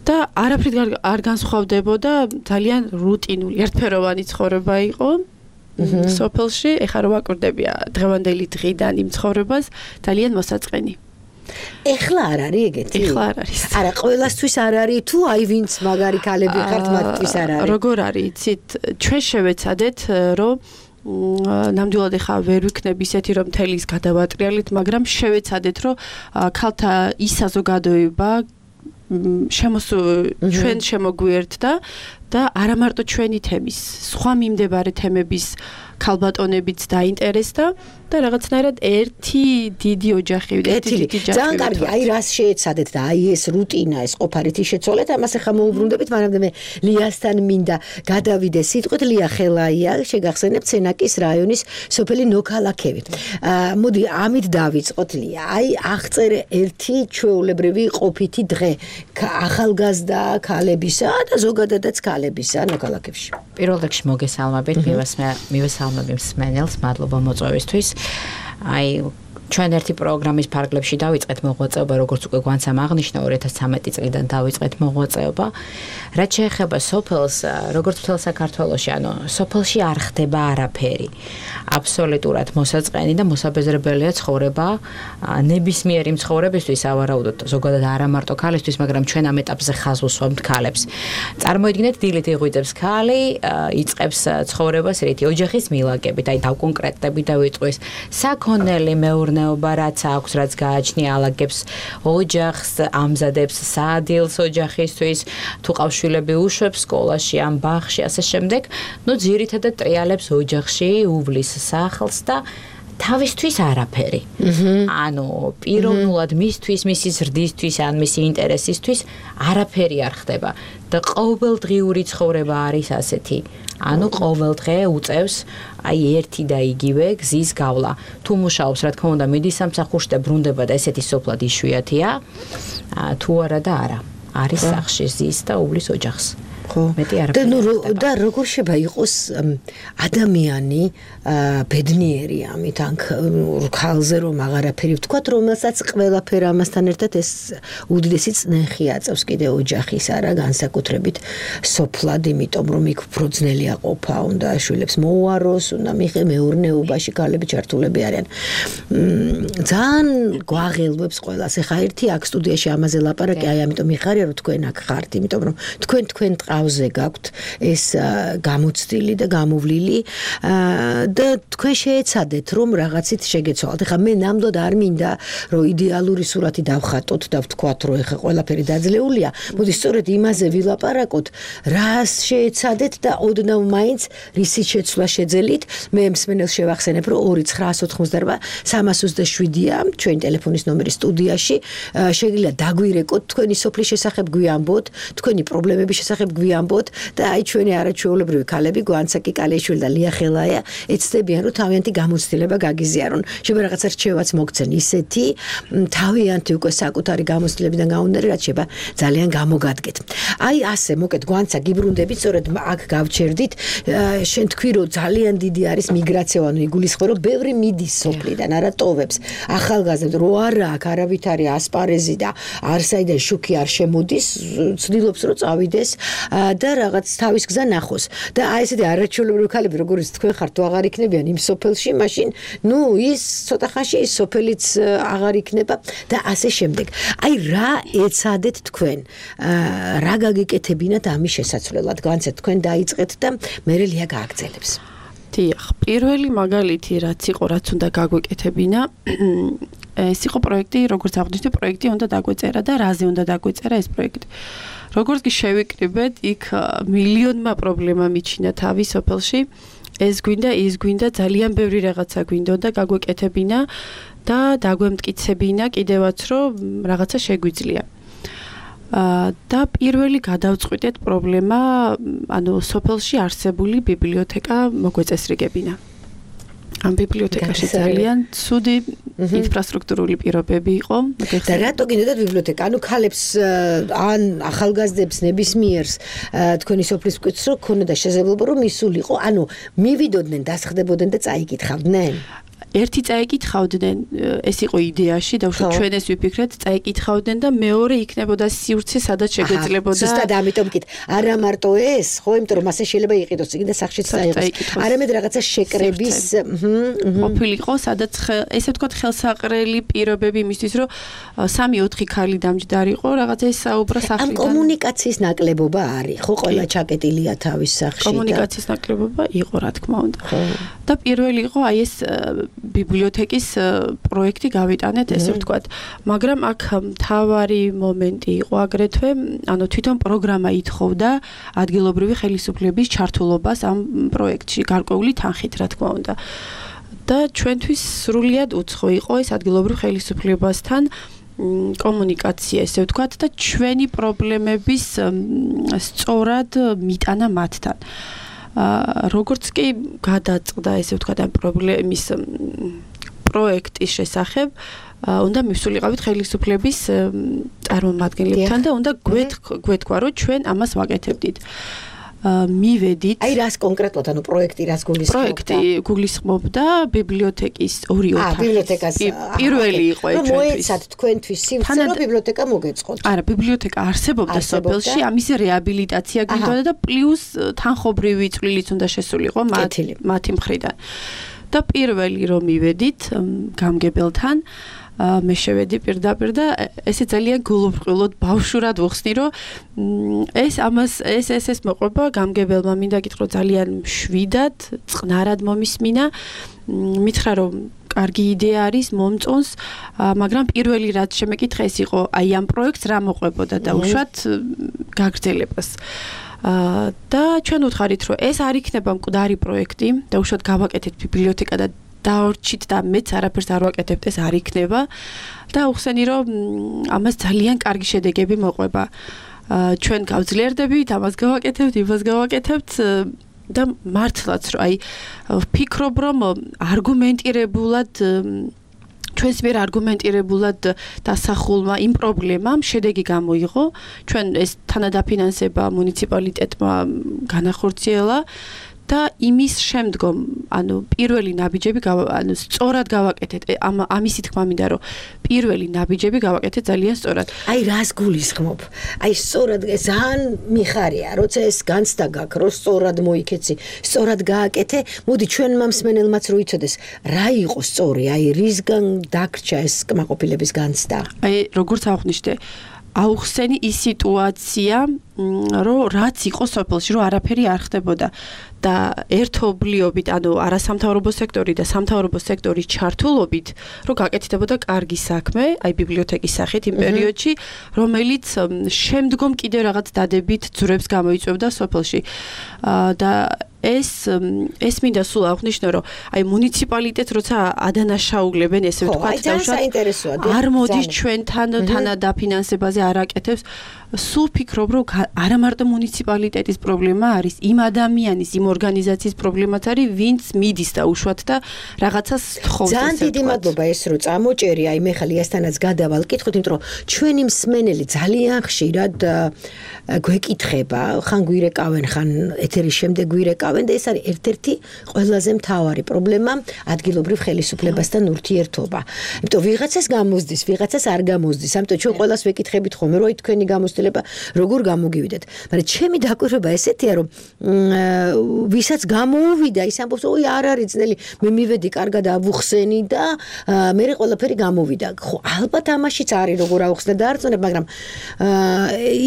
და არაფრით არ განსხვავდებოდა, ძალიან რუტინული, ერთფეროვანი ცხოვრება იყო. სოფელში, ეხლა რომ ვაკურდებია დღევანდელი დღიდან იმ ცხოვრებას, ძალიან მოსაწყენი. ეხლა არ არის ეგეთი? ეხლა არ არის. არა, ყველასთვის არ არის, თუ აი ვინც მაგარი ქალები ხართ, მათთვის არ არის. როგორ არის, იცით, ჩვენ შევეცადეთ, რომ ნამდვილად ეხლა ვერ ვიქნები ისეთი, რომ თელის გადავატრიალით, მაგრამ შევეცადეთ, რომ ქალთა ის საზოგადოება შემოსუ ჩვენ შემოგვიერთდა და არა მარტო ჩვენი თემის, სხვა მიმდებარე თემების ქალბატონებიც დაინტერესდა და რაღაცნაირად ერთი დიდი ოჯახი, ერთი დიდი ჯაჭვი. ძალიან კარგი, აი რას შეეცადეთ და აი ეს რუტინა, ეს ყოფარით შეცვალეთ, ამას ახლა მოუბრუნდებით, მაგრამ მე ლიასთან მინდა გადავიდე სიტყვით. ლია ხელაია, შეგახსენებთ სენაკის რაიონის სოფელი ნოქალაქევი. მოდი ამით დავიწყოთ ლია. აი აღწერე ერთი ჩვეულებრივი ყოფითი დღე ახალგაზრდა ქალებისა და ზოგადადაც ქალებისა ნოქალაქევში. პირველ რიგში მოგესალმებით, მივესალმები მსმენელს, მადლობა მოწვევისთვის. აი ჩვენ ერთი პროგრამის ფარგლებში დავიწყეთ მოღვაწეობა, როგორც უკვე გვანცამ აღნიშნა, ორი ათას ცხრამეტი წლიდან დავიწყეთ მოღვაწეობა. რაც შეეხება სოფელს, როგორც მთელ საქართველოში, ანუ სოფელში არ ხდება არაფერი. აბსოლუტურად მოსაწყენი და მოსაბეზრებელია ცხოვრება ნებისმიერი მცხოვრებისთვის, ავარაუდოდ ზოგადად არა მარტო ქალისთვის, მაგრამ ჩვენ ამ ეტაპზე ხაზს უსვამთ ქალებს. წარმოიდგინეთ, დილით იღვიძებს ქალი, იწყებს ცხოვრებას რითი ოჯახის მილაკებით, აი დავკონკრეტდებით და ვიტყვის საქონელი მეურნეობა, რაც აქვს, რაც გააჩნია, ალაგებს ოჯახს, ამზადებს სადილს ოჯახისთვის, თუ ყავს შვილები უშვებს სკოლაში, ამ ბაღში, ასე შემდეგ. ნუ ძირითადად ტრიალებს ოჯახში, უბლის სახლს და თავისთვის არაფერი. ანუ პიროვნულად მისთვის, მისი ზრდისთვის, ან მისი ინტერესისთვის არაფერი არ ხდება და ყოველდღიური ცხოვრება არის ასეთი. ანუ ყოველდღე უწევს აი ერთი და იგივე გზის გავლა. თუ მუშაობს, რა თქმა უნდა, მიდის სამსახურში და ბრუნდება და ესეთი სოფლად იშვიათია, თუ არა და არა. არის სახში ზის და უბლის ოჯახს. ხო. მეტი არაფერი. და ნუ და როგორ შეიძლება იყოს ადამიანი ბედნიერი ამით, ან ქალზე რომ აღარაფერი ვთქვათ, რომელსაც ყველაფერი ამასთან ერთად ეს უდიდესი წნეხი აწევს კიდე ოჯახის, არა განსაკუთრებით სოფლად, იმიტომ რომ იქ უფრო ძნელია ყოფა, უნდა შვილებს მოუაროს, უნდა მიღე მეურნეობაში ქალები ჩართულები არიან. ძალიან გვაღელვებს ყველას. ეხა ერთი აქ სტუდიაში ამაზე ლაპარაკი, აი ამიტომ მიხარია რომ თქვენ აქ ხართ, იმიტომ რომ თქვენ თქვენ ყავზე გაქვთ ეს გამოცდილი და გამოვლილი და თქვენ შეეცადეთ რომ რაღაცით შეგეცვალოთ. ეხლა მე ნამდვილად არ მინდა რომ იდეალური სურათი დავხატოთ და ვთქვათ რომ ეხლა ყველაფერი დაძლეულია. მოდი სწორედ იმაზე ვილაპარაკოთ, რას შეეცადეთ და ოდნავ მაინც რისით შეცვლა შეძელით. მე მსმენელს შევახსენებ რომ ორი ცხრაას ოთხმოცდარვა სამას ოცდაშვიდია ჩვენი ტელეფონის ნომერი სტუდიაში. შეგიძლია დაგვირეკოთ თქვენი სოფლის შესახებ გვიამბოთ, თქვენი პრობლემების შესახებ გვიამბოთ და აი ჩვენი არაჩვეულებრივი ქალები გვანცაკი კალეიშვილი და ლია ხელაია ეცდებიან რომ თავიანთი გამოცდილება გაგიზიარონ. შეიძლება რაღაცა რჩევაც მოგცენ ისეთი თავიანთი უკვე საკუთარი გამოცდილებიდან გამომდინარე, რაც შეიძლება ძალიან გამოგადგეთ. აი ასე მოკეთ გვანცა გიბრუნდებით, სწორედ აქ გავჩერდით. შენ თქვი რომ ძალიან დიდი არის მიგრაცია, ანუ იგულისხმება რომ ბევრი მიდის სოფლიდან, არა ტოვებს. ახალგაზრდა რო არა აქ არავით არის ასპარეზი და არსაიდან შუქი არ შემოდის, ცდილობს რომ წავიდეს და რაღაც თავის გზა ნახოს. და აი ესეთი არაჩვეულებრივი ქალები, როგორც თქვენ ხართ, თუ აღარ იქნებიან იმ სოფელში, მაშინ ნუ ის ცოტა ხანში ის სოფელიც აღარ იქნება და ასე შემდეგ. აი რა ეცადეთ თქვენ? რა გაგიკეთებინათ ამის შესაცვლელად? განცეთ თქვენ დაიწყეთ და მე ლია გააგრძელებს. დიახ, პირველი მაგალითი რაც იყო, რაც უნდა გაგვეკეთებინა, ეს იყო პროექტი, როგორც აღნიშნე, პროექტი უნდა დაგვეწერა და რაზე უნდა დაგვეწერა ეს პროექტი. როგორც კი შევიკრიბეთ, იქ მილიონმა პრობლემა მიჩინა თავი სოფელში. ეს გვინდა, ის გვინდა, ძალიან ბევრი რაღაცა გვინდოდა გაგვეკეთებინა და დაგვემტკიცებინა კიდევაც, რომ რაღაცა შეგვიძლია. და პირველი გადავწყვიტეთ პრობლემა, ანუ სოფელში არსებული ბიბლიოთეკა მოგვეწესრიგებინა. ამ ბიბლიოთეკაში ძალიან ცუდი ინფრასტრუქტურული პირობები იყო. და რატო გინდათ ბიბლიოთეკა? ანუ ქალებს ან ახალგაზრდებს ნებისმიერს თქვენი სოფლის მკვეთრს რო ქონოდა შესაძლებლობა რომ ისულიყო, ანუ მივიდოდნენ, დასხდებოდნენ და წაიკითხავდნენ. ერთი წაიკითხავდნენ, ეს იყო იდეაში და უშუალოდ ჩვენ ეს ვიფიქრეთ, წაიკითხავდნენ და მეორე იქნებოდა სივრცე, სადაც შეგვეძლებოდა. ზუსტად ამიტომ კით, არა მარტო ეს, ხო, იმიტომ რომ ასე შეიძლება იყიდოს იქ და სახშიც წაიღოს. არამედ რაღაცა შეკრების, ყოფილიყო, სადაც ესე ვთქვათ, ხელსაყრელი პირობები იმისთვის, რომ სამი ოთხი ქალი დამჯდარიყო, რაღაცა ეს საუბრა სახლიდან. ამ კომუნიკაციის ნაკლებობა არის, ხო, ყველა ჩაკეტილია თავის სახში. კომუნიკაციის ნაკლებობა იყო, რა თქმა უნდა. და პირველი იყო აი ეს ბიბლიოთეკის პროექტი გავიტანეთ, ესე ვთქვათ. მაგრამ აქ მთავარი მომენტი იყო აგრეთვე, ანუ თვითონ პროგრამა ითხოვდა ადგილობრივი ხელისუფლების ჩართულობას ამ პროექტში, გარკვეული თანხით, რა თქმა უნდა. და ჩვენთვის სრულიად უცხო იყო ეს ადგილობრივ ხელისუფლებასთან კომუნიკაცია, ესე ვთქვათ, და ჩვენი პრობლემების სწორად მიტანა მათთან. როგორც კი გადაწყდა, ესე ვთქვათ, ამ პრობლემის პროექტის შესახებ, უნდა მივსულიყავით ხელისუფლების წარმომადგენლებთან და უნდა გვეთქვა, რომ ჩვენ ამას ვაკეთებდით. მივედით. აი რას კონკრეტულად, ანუ პროექტი რას გულისხმობდა? პროექტი გულისხმობდა ბიბლიოთეკის ორი ოთახი. აა, ბიბლიოთეკას პირველი იყო ეს ჩვენთვის. მოეცათ თქვენთვის სივრცე, რომ ბიბლიოთეკა მოგეწყოთ. არა, ბიბლიოთეკა არსებობდა სოფელში, ამის რეაბილიტაცია გვინდოდა და პლუს თანხობრივი წვლილიც უნდა შესულიყო მათი მხრიდან. და პირველი რომ მივედით გამგებელთან, მე შევედი პირდაპირ და ესე ძალიან გულუბრყვილოდ ბავშვურად ვხსნი, რომ ეს ამას ეს ეს ეს მოყვება გამგებელმა, მინდა გითხრა ძალიან მშვიდად, წყნარად მომისმინა, მითხრა რომ კარგი იდეა არის, მომწონს, მაგრამ პირველი რაც შემეკითხა ეს იყო, აი ამ პროექტს რა მოყვებოდა და უშუალოდ გაგრძელებას. და ჩვენ ვუთხარით, რომ ეს არ იქნება მკვდარი პროექტი და უშუალოდ გავაკეთეთ ბიბლიოთეკა და დაორჩით და მეც არაფერს არ ვაკეთებთ, ეს არ იქნება და უხსენი რომ ამას ძალიან კარგი შედეგები მოყვება. ჩვენ გავძლიერდებით, ამას გავაკეთებთ, იმას გავაკეთებთ და მართლაც რომ აი ვფიქრობ რომ არგუმენტირებულად ჩვენს მიერ არგუმენტირებულად დასახულმა იმ პრობლემამ შედეგი გამოიღო. ჩვენ ეს თანადაფინანსება მუნიციპალიტეტმა განახორციელა და იმის შემდგომ, ანუ პირველი ნაბიჯები ანუ სწორად გავაკეთეთ. ამ ამისი თქმა მინდა, რომ პირველი ნაბიჯები გავაკეთეთ ძალიან სწორად. აი რას გულისხმობ? აი სწორად ძალიან მიხარია, როცა ეს განცდა გაქვს, რომ სწორად მოიქეცი, სწორად გააკეთე. მოდი ჩვენმა მსმენელმაც რო იცოდეს, რა იყო სწორი, აი რისგან დაგრჩა ეს კმაყოფილების განცდა. აი როგორც აღვნიშნე, აუხსენი ის სიტუაცია, რომ რაც იყო სოფელში, რომ არაფერი არ ხდებოდა და ერთობლიობით, ანუ არასამთავრობო სექტორი და სამთავრობო სექტორის ჩართულობით, რომ გაკეთდებოდა კარგი საქმე, აი ბიბლიოთეკის სახით იმ პერიოდში, რომელიც შემდგომ კიდე რაღაც დადებით ძვრებს გამოიწვევდა სოფელში. და ეს ეს მინდა სულ აღვნიშნო, რომ აი მუნიციპალიტეტს როცა ადანაშაულებენ, ესე ვთქვათ, და არ მოდის ჩვენთან თანადაფინანსებაზე არ აკეთებს, სულ ფიქრობ, რომ არა მარტო მუნიციპალიტეტის პრობლემა არის, იმ ადამიანის, იმ ორგანიზაციის პრობლემაც არის, ვინც მიდის და უშუალოდ და რაღაცას თხოვს. ძალიან დიდი მადლობა ეს რო წამოჭერი, აი მე ხალი ასთანაც გადავალ კითხოთ, იმიტომ რომ ჩვენი მსმენელი ძალიან ხშირად გვეკითხება, ხან გვირეკავენ, ხან ეთერის შემდეგ გვირეკავენ და ეს არის ერთ-ერთი ყველაზე მთავარი პრობლემა ადგილობრივ ხელისუფლებასთან ურთიერთობა. იმიტომ ვიღაცას გამოსდის, ვიღაცას არ გამოსდის. ამიტომ ჩვენ ყველას ვეკითხებით ხოლმე, რომ თქვენი გამოცდილება როგორ გამოგივიდეთ. მაგრამ ჩემი დაკვირვება ესეთია, რომ ვისაც გამოუვიდა, ის ამბობს, ой, არ არის ძნელი, მე მივედი კარგად ავუხსენი და მე ყველაფერი გამოვიდა. ხო, ალბათ ამაშიც არის როგორ ავუხსნე და არწმუნებ, მაგრამ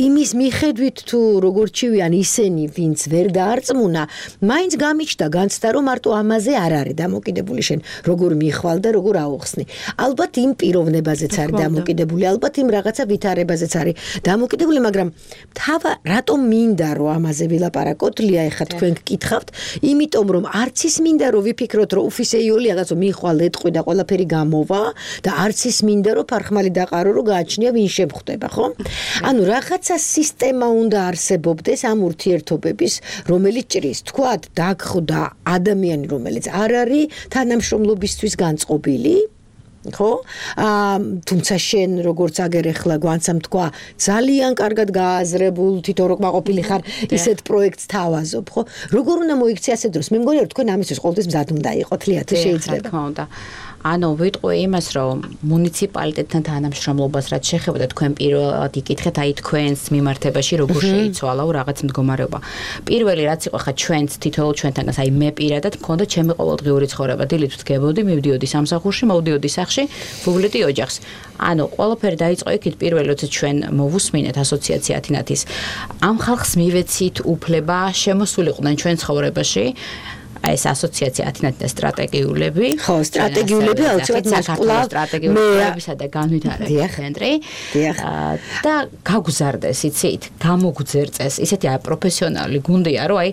იმის მიხედვით თუ როგორ ჩივიან ისინი, ვინც ვერ დაარწმუნა, მაინც გამიჩნდა განცდა, რომ მარტო ამაზე არ არის დამოკიდებული შენ, როგორ მიხვალ და როგორ აუხსნი. ალბათ იმ პიროვნებაზეც არის დამოკიდებული, ალბათ იმ რაღაცა ვითარებაზეც არის დამოკიდებული, მაგრამ აბა რატომ მინდა რომ ამაზე ვილაპარაკოთ ლია ეხა თქვენ გკითხავთ იმიტომ რომ არც ის მინდა რომ ვიფიქროთ რომ უფისეიული რაღაცა მიხვალ ეტყვი და ყველაფერი გამოვა და არც ის მინდა რომ ფარხმალი დაყარო რომ გააჩნია ვინ შემხვდება ხო ანუ რაღაცა სისტემა უნდა არსებობდეს ამ ურთიერთობების რომელიც ჭრის თქვათ დაგხვდა ადამიანი რომელიც არ არის თანამშრომლობისთვის განწყობილი ხო აა თუმცა შენ როგორც აგერ ახლა გვანცამ თქვა ძალიან კარგად გააზრებულ თვითონ რო მაყოფილი ხარ ისეთ პროექტს თავაზობ ხო როგორ უნდა მოიქცე ასე დროს მე მგონია რომ თქვენ ამისთვის ყოველთვის მზად უნდა იყოთ ლია თუ შეიძლება თქმა უნდა ანუ ვიტყვი იმას რომ მუნიციპალიტეტთან თანამშრომლობას რაც შეხება და თქვენ პირველად იკითხეთ აი თქვენს მიმართებაში როგორ შეიცვალაო რაღაც მდგომარეობა პირველი რაც იყო ხა ჩვენც თითოეულ ჩვენთანაც აი მე პირადად მქონდა ჩემი ყოველდღიური ცხოვრება დილით ვდგებოდი მივდიოდი სამსახურში მოვდიოდი სახში ვუვლედი ოჯახს ანუ ყველაფერი დაიწყო იქით პირველი როცა ჩვენ მოვუსმინეთ ასოციაცია ათინათის ამ ხალხს მივეცით უფლება შემოსულიყვნენ ჩვენ ცხოვრებაში ეს ასოციაცია ათინათის სტრატეგიულები ხო სტრატეგიულები აუცილებლად საქართველოს სტრატეგიულებისა და განვითარების ცენტრი და გაგუზარდეს იცით გამოგვძერწეს ისეთი აი პროფესიონალი გუნდია რომ აი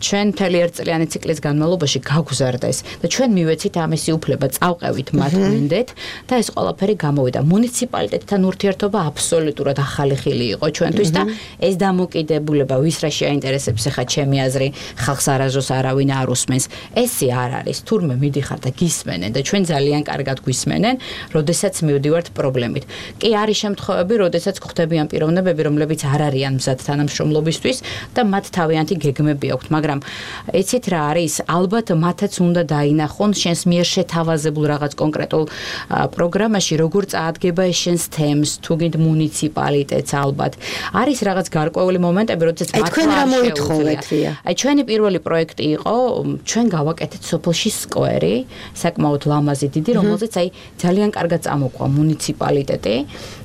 ჩვენ მთელი ერთწლიანი ციკლის განმავლობაში გაგუზარდეს და ჩვენ მივეცით ამისი უფლება წავყევით მათ გვინდეთ და ეს ყველაფერი გამოვიდა მუნიციპალიტეტთან ურთიერთობა აბსოლუტურად ახალი ხილი იყო ჩვენთვის და ეს დამოკიდებულება ვის რა შეაინტერესებს ახლა ჩემი აზრი ხალხს არასდროს არავინ არ უსმენს ესე არ არის თურმე მიდიხარ და გისმენენ და ჩვენ ძალიან კარგად გვისმენენ როდესაც მივდივართ პრობლემით კი არის შემთხვევები როდესაც გვხვდებიან პიროვნებები რომლებიც არ არიან მზად თანამშრომლობისთვის და მათ თავიანთი გეგმები აქვთ მაგრამ იცით რა არის ალბათ მათაც უნდა დაინახონ შენს მიერ შეთავაზებულ რაღაც კონკრეტულ პროგრამაში როგორ წაადგება ეს შენს თემს თუ გინდ მუნიციპალიტეტს ალბათ არის რაღაც გარკვეული მომენტები როდესაც მათ თქვენ რა მოითხოვეთ აი ჩვენი პირველი პროექტი იყო ჩვენ გავაკეთეთ სოფელში სკვერი, საკმაოდ ლამაზი დიდი, რომელზეც აი ძალიან კარგად წამოყვა მუნიციპალიტეტი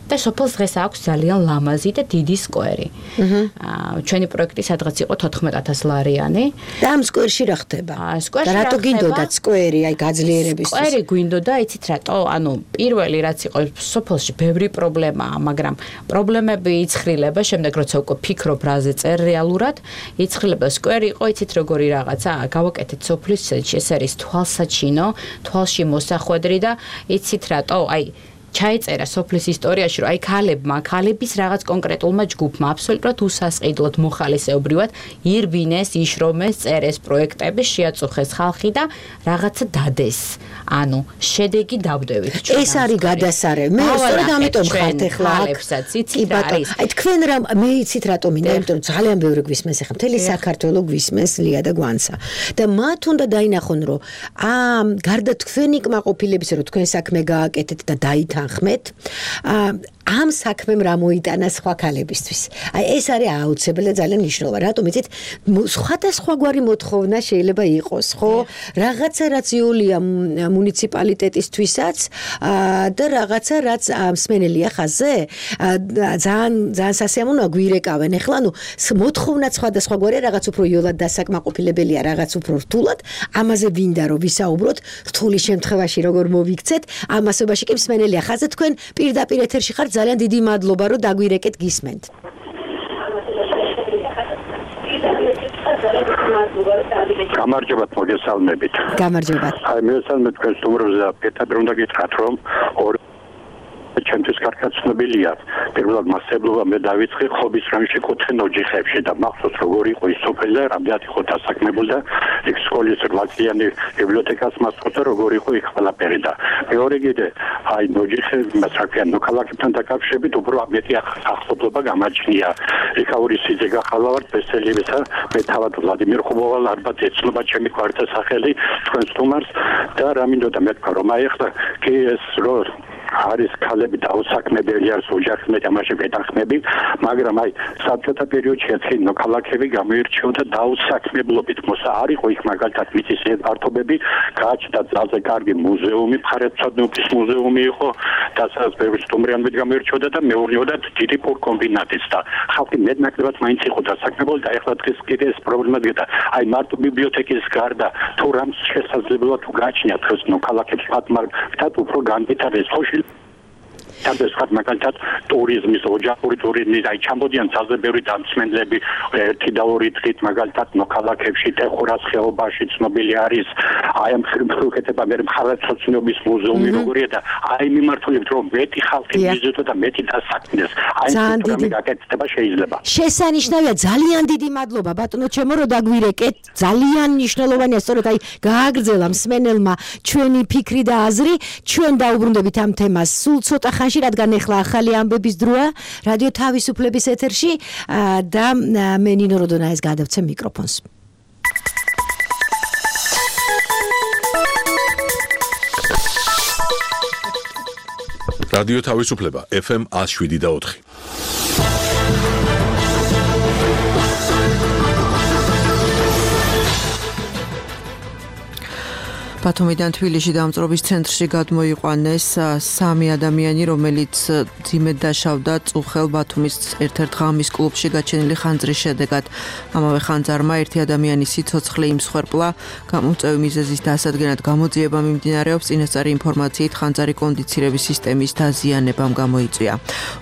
და სოფელს დღეს აქვს ძალიან ლამაზი და დიდი სკვერი. აა ჩვენი პროექტი სადღაც იყო თოთხმეტ ათას ლარიანი. და ამ სკვერში რა ხდება? სკვერში და რატო გინდოდათ სკვერი, აი გაძლიერებისთვის? სკვერი გვინდოდა, იცით რატო? ანუ პირველი რაც იყო სოფელში ბევრი პრობლემაა, მაგრამ პრობლემები იცხრილება, შემდეგ როცა უკვე ფიქრობ რაზე წერ რეალურად, იცხრილება სკვერი იყო, იცით როგორი რაღაცა, გავაკეთეთ სოფლის ცენტრში, ეს არის თვალსაჩინო, თვალში მოსახვედრი და იცით რატო? აი ჩაეწერა სოფლის ისტორიაში, რომ აი ქალებმა, ქალების რაღაც კონკრეტულმა ჯგუფმა აბსოლუტურად უსასყიდლოდ მოხალისეობრივად ირბინეს, იშრომეს, წერეს პროექტები, შეაწუხეს ხალხი და რაღაცა დადეს. ანუ შედეგი დავდევით ჩვენ. ეს არის გადასარევი. მე სწორედ ამიტომ ხართ ახლა ქალებსაც იცით რა არის. აი თქვენ რა მე იცით რატომ მინდა, იმიტომ რომ ძალიან ბევრი გვისმენს ახლა მთელი საქართველო გვისმენს ლია და გვანცა. და მათ უნდა დაინახონ, რომ ამ გარდა თქვენი კმაყოფილების, რომ თქვენ საქმე გააკეთეთ და დაითანხმეთ, ამ საქმემ რა მოიტანა სხვა ქალებისთვის. აი ეს არის აუცილებელი და ძალიან მნიშვნელოვანი. რატომ იცით, სხვადასხვაგვარი მოთხოვნა შეიძლება იყოს, ხო? რაღაცა რაც იოლია მუნიციპალიტეტისთვისაც და რაღაცა რაც მსმენელია ხაზზე, ძალიან ძალიან სასიამოვნოა გვირეკავენ. ეხლა ნუ მოთხოვნა სხვადასხვაგვარია, რაღაც უფრო იოლად დასაკმაყოფილებელია, რაღაც უფრო რთულად. ამაზე ვინდა რომ ვისაუბროთ, რთული შემთხვევაში როგორ მოვიქცეთ, ამასობაში კი მსმენელია ხაზზე თქვენ პირდაპირ ეთერში ხართ. ძალიან დიდი მადლობა რომ დაგვირეკეთ გისმენთ. გამარჯობათ მოგესალმებით. გამარჯობათ. აი მოგესალმებით თქვენ სტუმრებზე და პირდაპირ უნდა გითხრათ რომ ორ ჩემთვის კარგად ცნობილია პირველად მასშტაბობა მე დავიწყე ხობის რამში კუთხე ოჯახებში და მახსოვს როგორი იყო ის სოფელი და რამდენად იყო დასაქმებული და იქ სკოლის რვაწლიანი ბიბლიოთეკას მასწავლებდა როგორი იყო იქ ყველაფერი და მეორე კიდე აი ოჯახები მასაკიან მოქალაქეებთან დაკავშირებით უფრო მეტი ახსოვდება გამაჩნია ეკაური სიძე გახალავართ ბესელიებისა მე თავად ვლადიმერ ხუბოვალ ალბათ ეცნობა ჩემი კვარტა სახელი თქვენ სტუმარს და რა მინდოდა მეთქვა რომ აი ახლა კი ეს რო არის ქალები დაუსაქმებელი არის ოჯახის მეტი ამაში მეტახმები მაგრამ აი საბჭოთა პერიოდში ეცი მოქალაქეები გამოირჩეოდა დაუსაქმებლობით მოსა არ იყო იქ მაგალითად მიწის ფართობები გააჩნდა ძალზე კარგი მუზეუმი მხარეთმცოდნეობის მუზეუმი იყო და სადაც ბევრი სტუმრიანი გამოირჩეოდა და მეურნეობდა დიდი პორკომბინატიც და ხალხი მეტნაკლებად მაინც იყო დასაქმებული და ეხლა დღეს კიდე ეს პრობლემა დგება აი მარტო ბიბლიოთეკის გარდა თუ რამ შესაძლებლობა თუ გააჩნიათ ეს მოქალაქეებს მათ მაგრამ უფრო განვითარდეს სოციალ თანდათან მაგალითად ტურიზმის, ოჯახური ტურიზმის, აი ჩამოდიან ძალზე ბევრი დამსმენლები ერთი და ორი დღით მაგალითად მოქალაქეებში, ტეხურას ხეობაში ცნობილი არის აი ამ ხერხეთება მე მხარეთმცოდნეობის მუზეუმი როგორია და აი მიმართულებით რომ მეტი ხალხი მიზიდო და მეტი დასაქმდეს. აი ეს გაკეთება შეიძლება. შესანიშნავია, ძალიან დიდი მადლობა ბატონო ჩემო რომ დაგვირეკეთ. ძალიან მნიშვნელოვანია სწორედ აი გააგრძელა მსმენელმა ჩვენი ფიქრი და აზრი. ჩვენ დაუბრუნდებით ამ თემას სულ ცოტა ხანში, რადგან ეხლა ახალი ამბების დროა რადიო თავისუფლების ეთერში და მე ნინო როდონაეს გადავცემ მიკროფონს. რადიო თავისუფლება ეფ ემ one oh seven და four. ბათუმიდან თბილისში დამწრობის ცენტრში გადმოიყვანეს სამი ადამიანი, რომელიც ძიმედ დაშავდა წუხელ ბათუმის ერთ-ერთ ღამის კლუბში გაჩენილი ხანძრის შედეგად. ამავე ხანძარმა ერთი ადამიანის სიცოცხლე იმსხვერპლა. გამომწვევი მიზეზის დასადგენად გამოძიება მიმდინარეობს. წინასწარი ინფორმაციით ხანძარი კონდიცირების სისტემის დაზიანებამ გამოიწვია.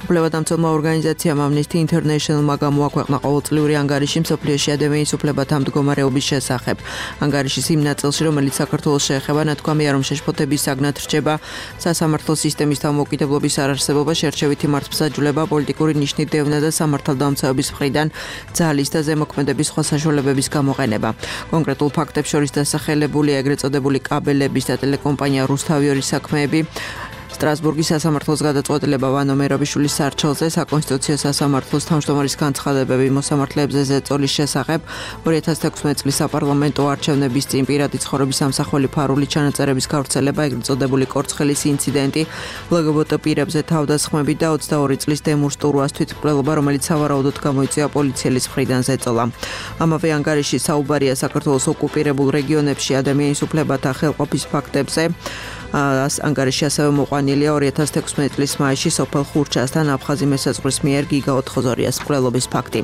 უფლებადამცველმა ორგანიზაციამ Amnesty International-მა გამოაქვეყნა ყოველწლიური ანგარიში მსოფლიოში ადამიანის უფლებათა მდგომარეობის შესახებ. ანგარიშის იმ ნაწილში, რომელიც საქართველოს ეხება ნათქვამია რომ შეშფოთების საგნად რჩება სასამართლო სისტემის თავმოყრილობის არარსებობა, შერჩევითი მართლმსაჯულება, პოლიტიკური ნიშნით დევნა და სამართალდამცავების მხრიდან ძალის და ზემოქმედების სხვა საშუალებების გამოყენება. კონკრეტულ ფაქტებს შორის დასახელებულია ეგრეთ წოდებული კაბელების და ტელეკომპანია რუსთავიორის საქმეები, სტრასბურგის სასამართლოს გადაწყვეტილება ვანო მერაბიშვილის სარჩელზე, საკონსტიტუციო სასამართლოს თავმჯდომარის განცხადებები მოსამართლეებზე ზეწოლის შესახებ, ორი ათას თექვსმეტი წლის საპარლამენტო არჩევნების წინ პირადი ცხოვრების სამსახველი ფარული ჩანაწერების გავრცელება, ეგრეთ წოდებული კორცხელის ინციდენტი, ლგბტ პირებზე თავდასხმები და ოცდაორი წლის დემურ სტურვას თვითმკვლელობა, რომელიც სავარაუდოდ გამოიწვია პოლიციელის მხრიდან ზეწოლა. ამავე ანგარიში საუბარია საქართველოს ოკუპირებულ რეგიონებში ადამიანის უფლებათა ხელყოფის ფაქტებზე. ანგარიში ასევე მოყვანილია ორი ათას თექვსმეტი წლის მაისში სოფელ ხურჩასთან აფხაზი მესაზღვრის მიერ გიგა ოთხზორიას მკვლელობის ფაქტი.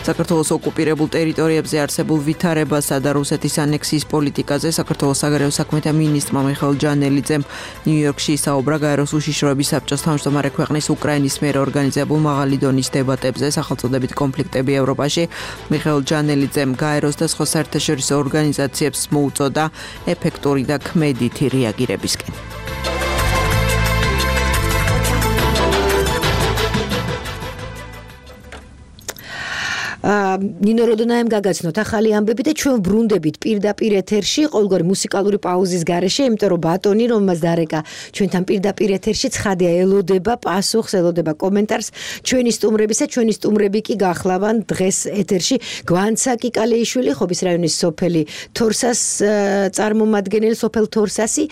საქართველოს ოკუპირებულ ტერიტორიებზე არსებულ ვითარებასა და რუსეთის ანექსიის პოლიტიკაზე საქართველოს საგარეო საქმეთა მინისტრმა მიხეილ ჯანელიძემ ნიუ-იორკში ისაუბრა გაეროს უშიშროების საბჭოს თავმჯდომარე ქვეყნის უკრაინის მიერ ორგანიზებულ მაღალი დონის დებატებზე სახელწოდებით კონფლიქტები ევროპაში. მიხეილ ჯანელიძემ გაეროს და სხვა საერთაშორისო ორგანიზაციებს მოუწოდა ეფექტური და ქმედითი რეაგირებისკენ. ნინო როდონაემ გაგაცნოთ ახალი ამბები და ჩვენ ბრუნდებით პირდაპირ ეთერში ყოველგვარი მუსიკალური პაუზის გარეშე, იმიტომ რომ ბატონი რომელმაც დარეკა ჩვენთან პირდაპირ ეთერში ცხადია ელოდება პასუხს, ელოდება კომენტარს ჩვენი სტუმრებისა, ჩვენი სტუმრები კი გახლავან დღეს ეთერში გვანცა კიკალეიშვილი, ხობის რაიონის სოფელი თორსას წარმომადგენელი, სოფელ თორსასი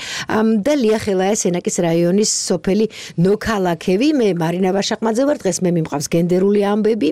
და ლია ხელაია სენაკის რაიონის სოფელი ნოქალაკევი. მე მარინა ვაშაყმაძე ვარ, დღეს მე მიმყავს გენდერული ამბები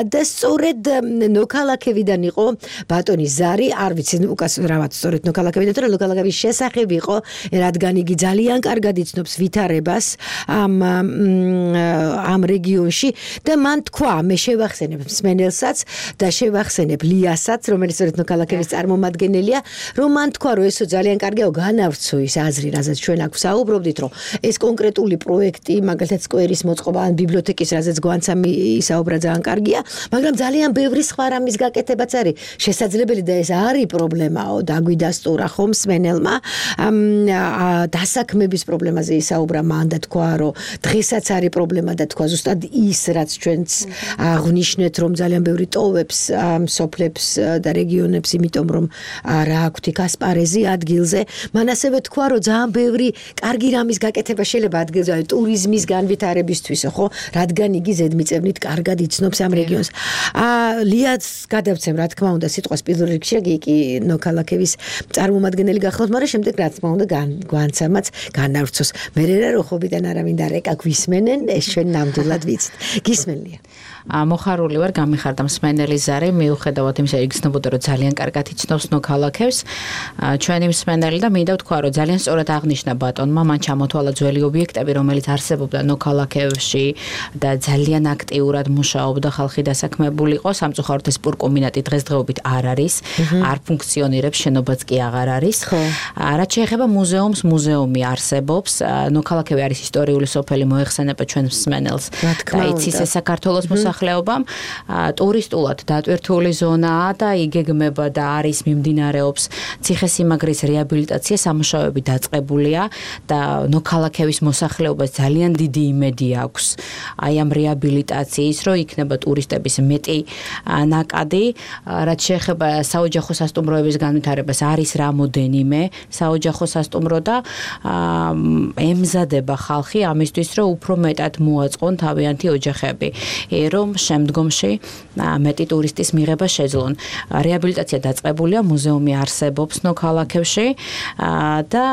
და სწორედ ნოქალაკევიდან იყო ბატონი ზარი, არ ვიცი უკაცრავად სწორედ ნოქალაკევიდან, თორემ ნოქალაკევის შესახებ იყო, რადგან იგი ძალიან კარგად იცნობს ვითარებას ამ ამ რეგიონში და მან თქვა, მე შევახსენებ მსმენელსაც და შევახსენებ ლიასაც, რომელიც სწორედ ნოქალაკევის წარმომადგენელია, რომ მან თქვა, რომ ესო ძალიან კარგია, განავრცო ის აზრი, რაზეც ჩვენ აქ ვსაუბრობდით, რომ ეს კონკრეტული პროექტი, მაგალითად სკვერის მოწყობა ან ბიბლიოთეკის, რაზეც გვანცა ისაუბრა, ძალიან კარგია, მაგრამ ძალიან ბევრი სხვა რამის გაკეთებაც არის შესაძლებელი და ეს არის პრობლემაო, დაგვიდასტურა ხომ მსმენელმა დასაქმების პრობლემაზე ისაუბრა, მან და თქვა, რომ დღესაც არის პრობლემა და თქვა ზუსტად ის, რაც ჩვენც აღნიშნეთ, რომ ძალიან ბევრი ტოვებს სოფლებს და რეგიონებს, იმიტომ რომ რა აქვთ იქ ასპარეზი ადგილზე. მან ასევე თქვა, რომ ძალიან ბევრი კარგი რამის გაკეთება შეიძლება ადგილზე, ტურიზმის განვითარებისთვის, ხო, რადგან იგი ზედმიწევნით კარგად იცნობს ამ რეგიონს. ლიაც გადავცემ, რა თქმა უნდა, სიტყვას პირველ რიგში, იგი ნოქალაკევის წარმომადგენელი გახლავთ, მაგრამ შემდეგ რა თქმა უნდა გვანცამაც განავრცოს. მე რა როხობიდან არავინ და რეკა გვისმენენ, ეს ჩვენ ნამდვილად ვიცით. გისმენლია. მოხარული ვარ, გამიხარდა მსმენელი ზარი, მიუხედავად იმისა, იგრძნობოდა, რომ ძალიან კარგად იცნობს ნოქალაკევს. ჩვენი მსმენელი და მინდა ვთქვა, რომ ძალიან სწორად აღნიშნა ბატონმა, მან ჩამოთვალა ძველი ობიექტები, რომელიც არსებობდა ნოქალაკევში და ძალიან აქტიურად მუშაობდა ხალხი დასაქმებული დაწესებულიყო, სამწუხაროდ ეს სპორტკომბინატი დღესდღეობით არ არის, არ ფუნქციონირებს, შენობაც კი აღარ არის. რაც შეეხება მუზეუმს, მუზეუმი არსებობს, ნოქალაქევი არის ისტორიული სოფელი, მოეხსენება ჩვენ მსმენელს და იცის ეს საქართველოს მოსახლეობამ. ტურისტულად დატვირთული ზონაა და იგეგმება და არის მიმდინარეობს ციხესიმაგრის რეაბილიტაცია, სამუშაოები დაწყებულია და ნოქალაქევის მოსახლეობას ძალიან დიდი იმედი აქვს აი ამ რეაბილიტაციის, რომ იქნება ტურისტების მეტი ნაკადი. რაც შეეხება საოჯახო სასტუმროების განვითარებას, არის რამოდენიმე საოჯახო სასტუმრო და ემზადება ხალხი ამისთვის, რომ უფრო მეტად მოაწყონ თავიანთი ოჯახები, რომ შემდგომში მეტი ტურისტის მიღება შეძლონ. რეაბილიტაცია დაწყებულია, მუზეუმი არსებობს ნოქალაქევში და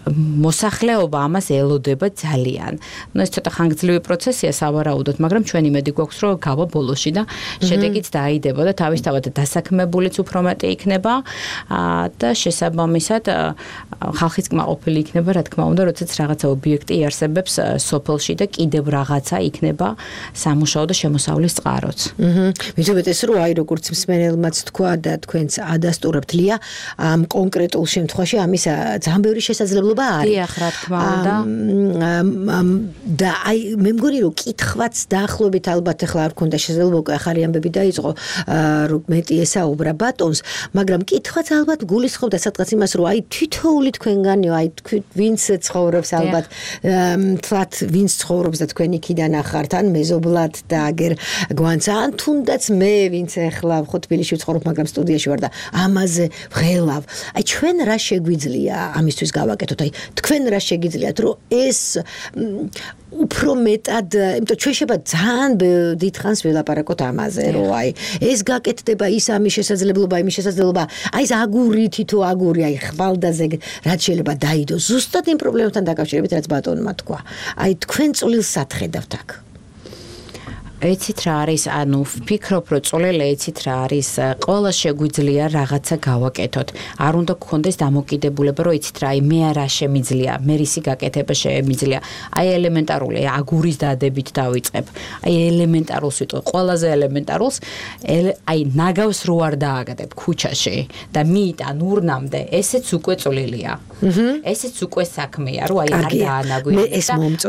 მოსახლეობა ამას ელოდება ძალიან. ნუ ეს ცოტა ხანგრძლივი პროცესია სავარაუდოდ, მაგრამ ჩვენ იმედი გვაქვს, რომ გავა ბოლოში და შედეგიც დაიდება და თავისთავად დასაქმებულიც უფრო მეტი იქნება და შესაბამისად ხალხიც კმაყოფილი იქნება, რა თქმა უნდა, როდესაც რაღაცა ობიექტი იარსებებს სოფელში და კიდევ რაღაცა იქნება სამუშაო და შემოსავლის წყაროც. აჰა. მithumეტეს რომ აი როგორც მსმენელმაც თქვა და თქვენც ადასტურებთ ლია, ამ კონკრეტულ შემთხვევაში ამის ძალიან ბევრი შესაძლებლობა დიახ, რა თქმა უნდა. და აი მე მგონი რომ კითხვაც დაახლოებით ალბათ ახლა არ ქონდა შესაძლებლობა, უკვე ახალი ამბები დაიწყო, რომ მეტი ესაუბრა ბატონს, მაგრამ კითხვაც ალბათ გულისხმობდა სადღაც იმას, რომ აი თითოეული თქვენგანიო, აი თქვენ ვინც ცხოვრობს ალბათ, თვათ ვინც ცხოვრობს და თქვენ იქიდან ახართ, ან მეზობლად და აგერ გვანცა, ან თუნდაც მე ვინც ახლა ხო თბილისში ვცხოვრობ, მაგრამ სტუდიაში ვარ და ამაზე ვღელავ. აი ჩვენ რა შეგვიძლია ამისთვის გავაკეთოთ? თქვენ რა შეგიძლიათ, რომ ეს უფრო მეტად, იმიტომ ჩვენ შეიძლება ძალიან დიდხანს ველაპარაკოთ ამაზე, რომ აი ეს გაკეთდება, ის ამის შესაძლებლობა, იმის შესაძლებლობა, აი ეს აგური, თითო აგური, აი ხვალდაზე რაც შეიძლება დაიდოს, ზუსტად იმ პრობლემებთან დაკავშირებით, რაც ბატონმა თქვა. აი თქვენ წვლილს სათხედავთ აქ. ეცით რა არის, ანუ ვფიქრობ, რომ წვლილი ეცით რა არის, ყველა შეგვიძლია რაღაცა გავაკეთოთ. არ უნდა გქონდეს დამოკიდებულება, რომ ეცით რა, აი მე რა შემიძლია, მე რისი გაკეთება შემიძლია. აი ელემენტარული აგურის დადებით დავიწყებ. აი ელემენტარულს ვიტყვი, ყველაზე ელემენტარულს, აი ნაგავს რო არ დააგდებ ქუჩაში და მიიტან ურნამდე, ესეც უკვე წვლილია. ესეც უკვე საქმეა, რომ აი არ დაანაგვირებ.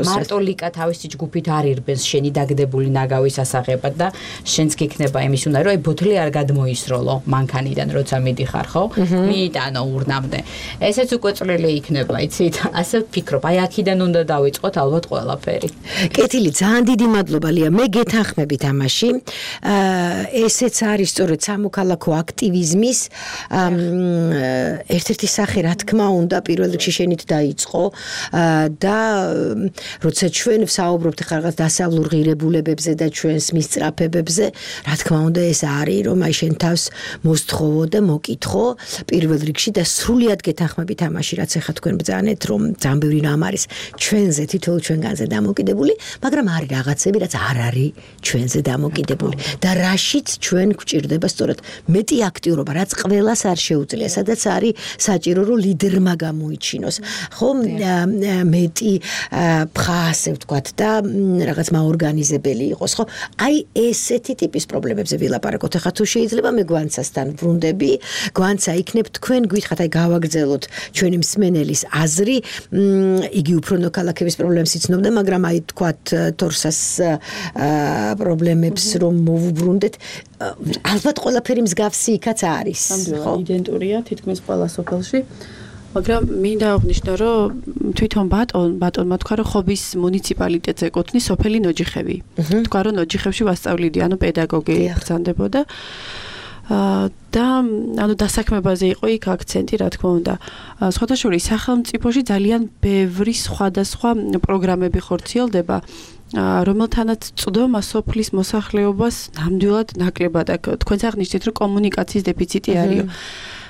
მარტო ლიკა თავისი ჯგუფით არ ირბენს შენი დაგდებული ნაგავი ვისასაღებად და შენც გიქნება იმის უნდა რომ აი ბოთლი არ გადმოისროლო მანქანიდან როცა მიდიხარ ხო მიიტანო ურნამდე ესეც უკვე წვლილი იქნება იცით ასე ვფიქრობ აი აქედან უნდა დავიწყოთ ალბათ ყველაფერი კეთილი ძალიან დიდი მადლობა ლია მე გეთანხმებით ამაში ესეც არის სწორედ სამოქალაქო აქტივიზმის ერთ-ერთი სახე რა თქმა უნდა პირველ რიგში შენით დაიწყო და როცა ჩვენ ვსაუბრობთ ხარ რაღაც დასავლურ ღირებულებებზე და ჩვენს მისწრაფებებზე, რა თქმა უნდა ეს არის, რომ აი შენ თავს მოსთხოვო და მოკითხო პირველ რიგში და სრულიად გეთანხმებით ამაში, რაც ახლა თქვენ ბრძანეთ, რომ ძალიან ბევრი რამ არის ჩვენზე, თითოეულ ჩვენგანზე დამოკიდებული, მაგრამ არის რაღაცები, რაც არ არის ჩვენზე დამოკიდებული და რაშიც ჩვენ გვჭირდება სწორედ მეტი აქტიურობა, რაც ყველას არ შეუძლია, სადაც არის საჭირო, რომ ლიდერმა გამოიჩინოს. ხო, მეტი ფხასე ვთქვათ და რაღაც მაორგანიზებელი იყოს. ხო, აი ესეთი ტიპის პრობლემებზე ვილაპარაკოთ. ახლა თუ შეიძლება მე გვანცასთან ვრუნდები, გვანცა იქნებ თქვენ გვითხრათ, აი გავაგრძელოთ ჩვენი მსმენელის აზრი, იგი უფრო ნოქალაქების პრობლემებს იცნობდა, მაგრამ აი თქვათ თორსას პრობლემებს რომ მოვუბრუნდეთ, ალბათ ყველაფერი მსგავსი იქაც არის. ხო, იდენტურია თითქმის ყველა სოფელში. მაგრამ მინდა აღნიშნო, რომ თვითონ ბატონ, ბატონმა თქვა, რომ ხობის მუნიციპალიტეტს ეკუთვნის სოფელი ნოჯიხევი. თქვა, რომ ნოჯიხევში ვასწავლიდი, ანუ პედაგოგი ბრძანდებოდა. და ანუ დასაქმებაზე იყო იქ აქცენტი, რა თქმა უნდა. სხვადასხვა სახელმწიფოში ძალიან ბევრი სხვადასხვა პროგრამები ხორციელდება. რომელთანაც წვდომა სოფლის მოსახლეობას ნამდვილად ნაკლებად აქვს. თქვენც აღნიშნეთ, რომ კომუნიკაციის დეფიციტი არის.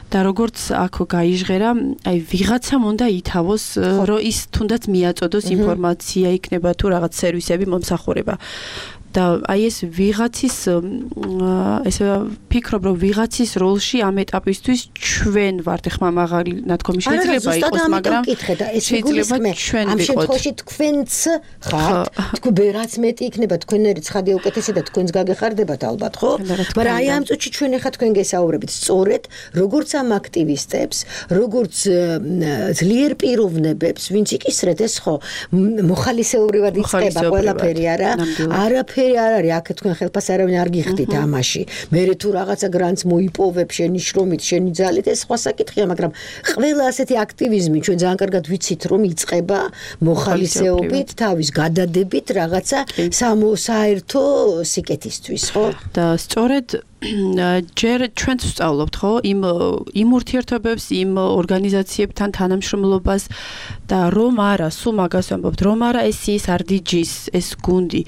და როგორც აქ გაიჟღერა, აი ვიღაცამ უნდა ითავოს, რომ ის თუნდაც მიაწოდოს ინფორმაცია იქნება თუ რაღაც სერვისები მომსახურება. და აი ეს ვიღაცის ესე ფიქრობ რომ ვიღაცის როლში ამ ეტაპისთვის ჩვენ ვართ ხმა მაღალი ნათქვამი შეიძლება იყოს მაგრამ შეიძლება ჩვენ ამ შემთხვევაში თქვენც ხართ თქვენ რაც მეტი იქნება თქვენერი ცხადი უკეთესი და თქვენს გაგეხარდებათ ალბათ ხო მაგრამ აი ამ წუთში ჩვენ ახლა თქვენ გესაუბრებით სწორედ როგორც ამ აქტივისტებს როგორც ძლიერ პიროვნებებს ვინც იკისრეთ ეს ხო მოხალისეობრივად იწყება ყველაფერი არა არაფერი არ არის აქ თქვენ ხელფას არავინ არ გიხდით ამაში მე თუ რაღაცა გრანტს მოიპოვებ შენი შრომით შენი ძალით ეს სხვა საკითხია მაგრამ ყველა ასეთი აქტივიზმი ჩვენ ძალიან კარგად ვიცით რომ იწყება მოხალისეობით თავის გადადებით რაღაცა სამოსაერთო სიკეთისთვის ხო და სწორედ ჯერ ჩვენც ვსწავლობთ ხო იმ იმ ურთიერთობებს იმ ორგანიზაციებთან თანამშრომლობას და რომ არა სულ მაგას ვამბობთ რომ არა ეს ის არ დიჯის ეს გუნდი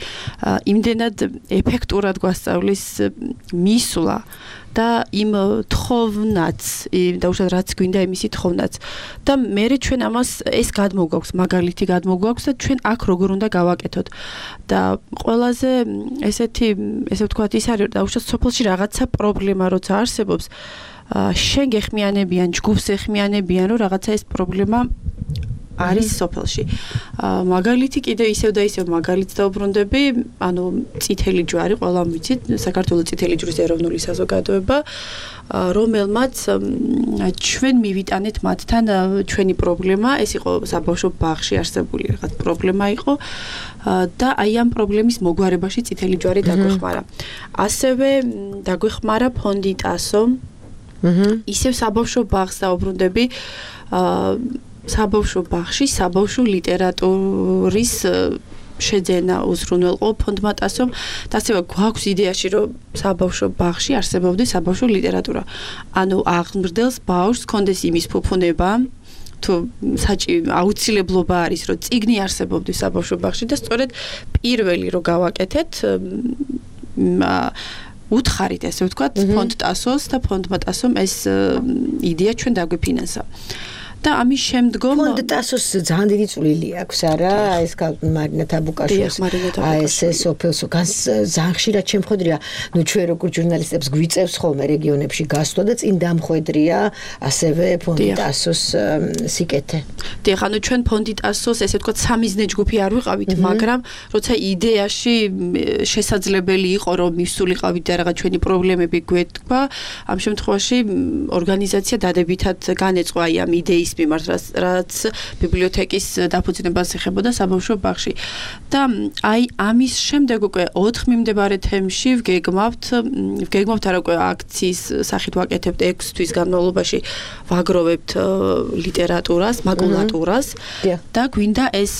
იმდენად ეფექტურად გვასწავლის მისვლა და იმ თხოვნაც და უშად რაც გვინდა იმისი თხოვნაც და მე ჩვენ ამას ეს გადმოგვაქვს მაგალითი გადმოგვაქვს და ჩვენ აქ როგორ უნდა გავაკეთოთ და ყველაზე ესეთი ესე ვთქვათ ის არის და უშად სოფელში რაღაცა პრობლემა როცა არსებობს შენ გეხმიანებიან ჯგუფს ეხმიანებიან რომ რაღაცა ეს პრობლემა არის სოფელში. მაგალითი კიდე ისევ და ისევ მაგალითს დაუბრუნდები, ანუ წითელი ჯვარი, ყველამ ვიცით, საქართველოს წითელი ჯვრის ეროვნული საზოგადოება, რომელმაც ჩვენ მივიტანეთ მათთან ჩვენი პრობლემა, ეს იყო საბავშვო ბაღში არსებული რაღაც პრობლემა იყო და აი ამ პრობლემის მოგვარებაში წითელი ჯვარი დაგვეხმარა. ასევე დაგვეხმარა ფონდი ტასო. ისევ საბავშვო ბაღს დაუბრუნდები, საბავშვო ბაღში საბავშვო ლიტერატურის შეძენა უზრუნველყო ფონდმა ტასომ და ასევე გვაქვს იდეაში რომ საბავშვო ბაღში არსებობდეს საბავშვო ლიტერატურა. ანუ აღმრდელს ბავშვს კონდეს იმის ფუფუნება თუ საჭი აუცილებლობა არის რომ წიგნი არსებობდეს საბავშვო ბაღში და სწორედ პირველი რომ გავაკეთეთ უთხარით ესე ვთქვათ ფონდ ტასოს და ფონდმა ტასომ ეს იდეა ჩვენ დაგვიფინანსა. და ამის შემდგომ ფონდ ტასოს ძალიან დიდი წვლილი აქვს არა ეს მარინა თაბუკაშვილს აი ეს სოფელსო ძალიან ხშირად შემხედრია ნუ ჩვენ როგორც ჟურნალისტებს გვიწევს ხოლმე რეგიონებში გასვლა და წინ დამხვედრია ასევე ფონდ ტასოს სიკეთე დიახ ანუ ჩვენ ფონდ ტასოს ესე ვთქვათ სამიზნე ჯგუფი არ ვიყავით მაგრამ როცა იდეაში შესაძლებელი იყო რომ მისულიყავით და რაღაც ჩვენი პრობლემები გვეთქვა ამ შემთხვევაში ორგანიზაცია დადებითად განეწყო აი ამ იდეის მიმართ რაც ბიბლიოთეკის დაფუძნებას ეხებოდა საბავშვო ბაღში და აი ამის შემდეგ უკვე ოთხ მიმდებარე თემში ვგეგმავთ ვგეგმავთ არა უკვე აქციის სახით ვაკეთებთ ექვს თვის განმავლობაში ვაგროვებთ ლიტერატურას მაკულატურას და გვინდა ეს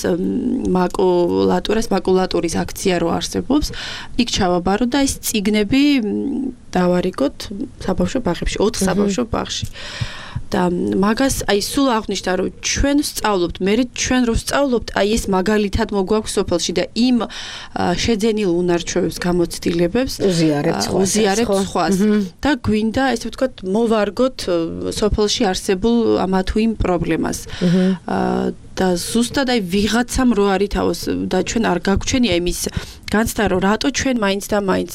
მაკულატურას მაკულატურის აქცია რო არსებობს იქ ჩავაბარო და ეს წიგნები დავარიგოთ საბავშვო ბაღებში ოთხ საბავშვო ბაღში და მაგას აი სულ აღნიშნა რომ ჩვენ ვსწავლობთ მე ჩვენ რო ვსწავლობთ აი ეს მაგალითად მოგვაქვს სოფელში და იმ შეძენილ უნარჩვევებს გამოცდილებებს უზიარებთ სხვას და გვინდა ესე ვთქვათ მოვარგოთ სოფელში არსებულ ამა თუ იმ პრობლემას და ზუსტად აი ვიღაცამ რო არითავოს და ჩვენ არ გაგვჩენია იმის განცდა რომ რატო ჩვენ მაინც და მაინც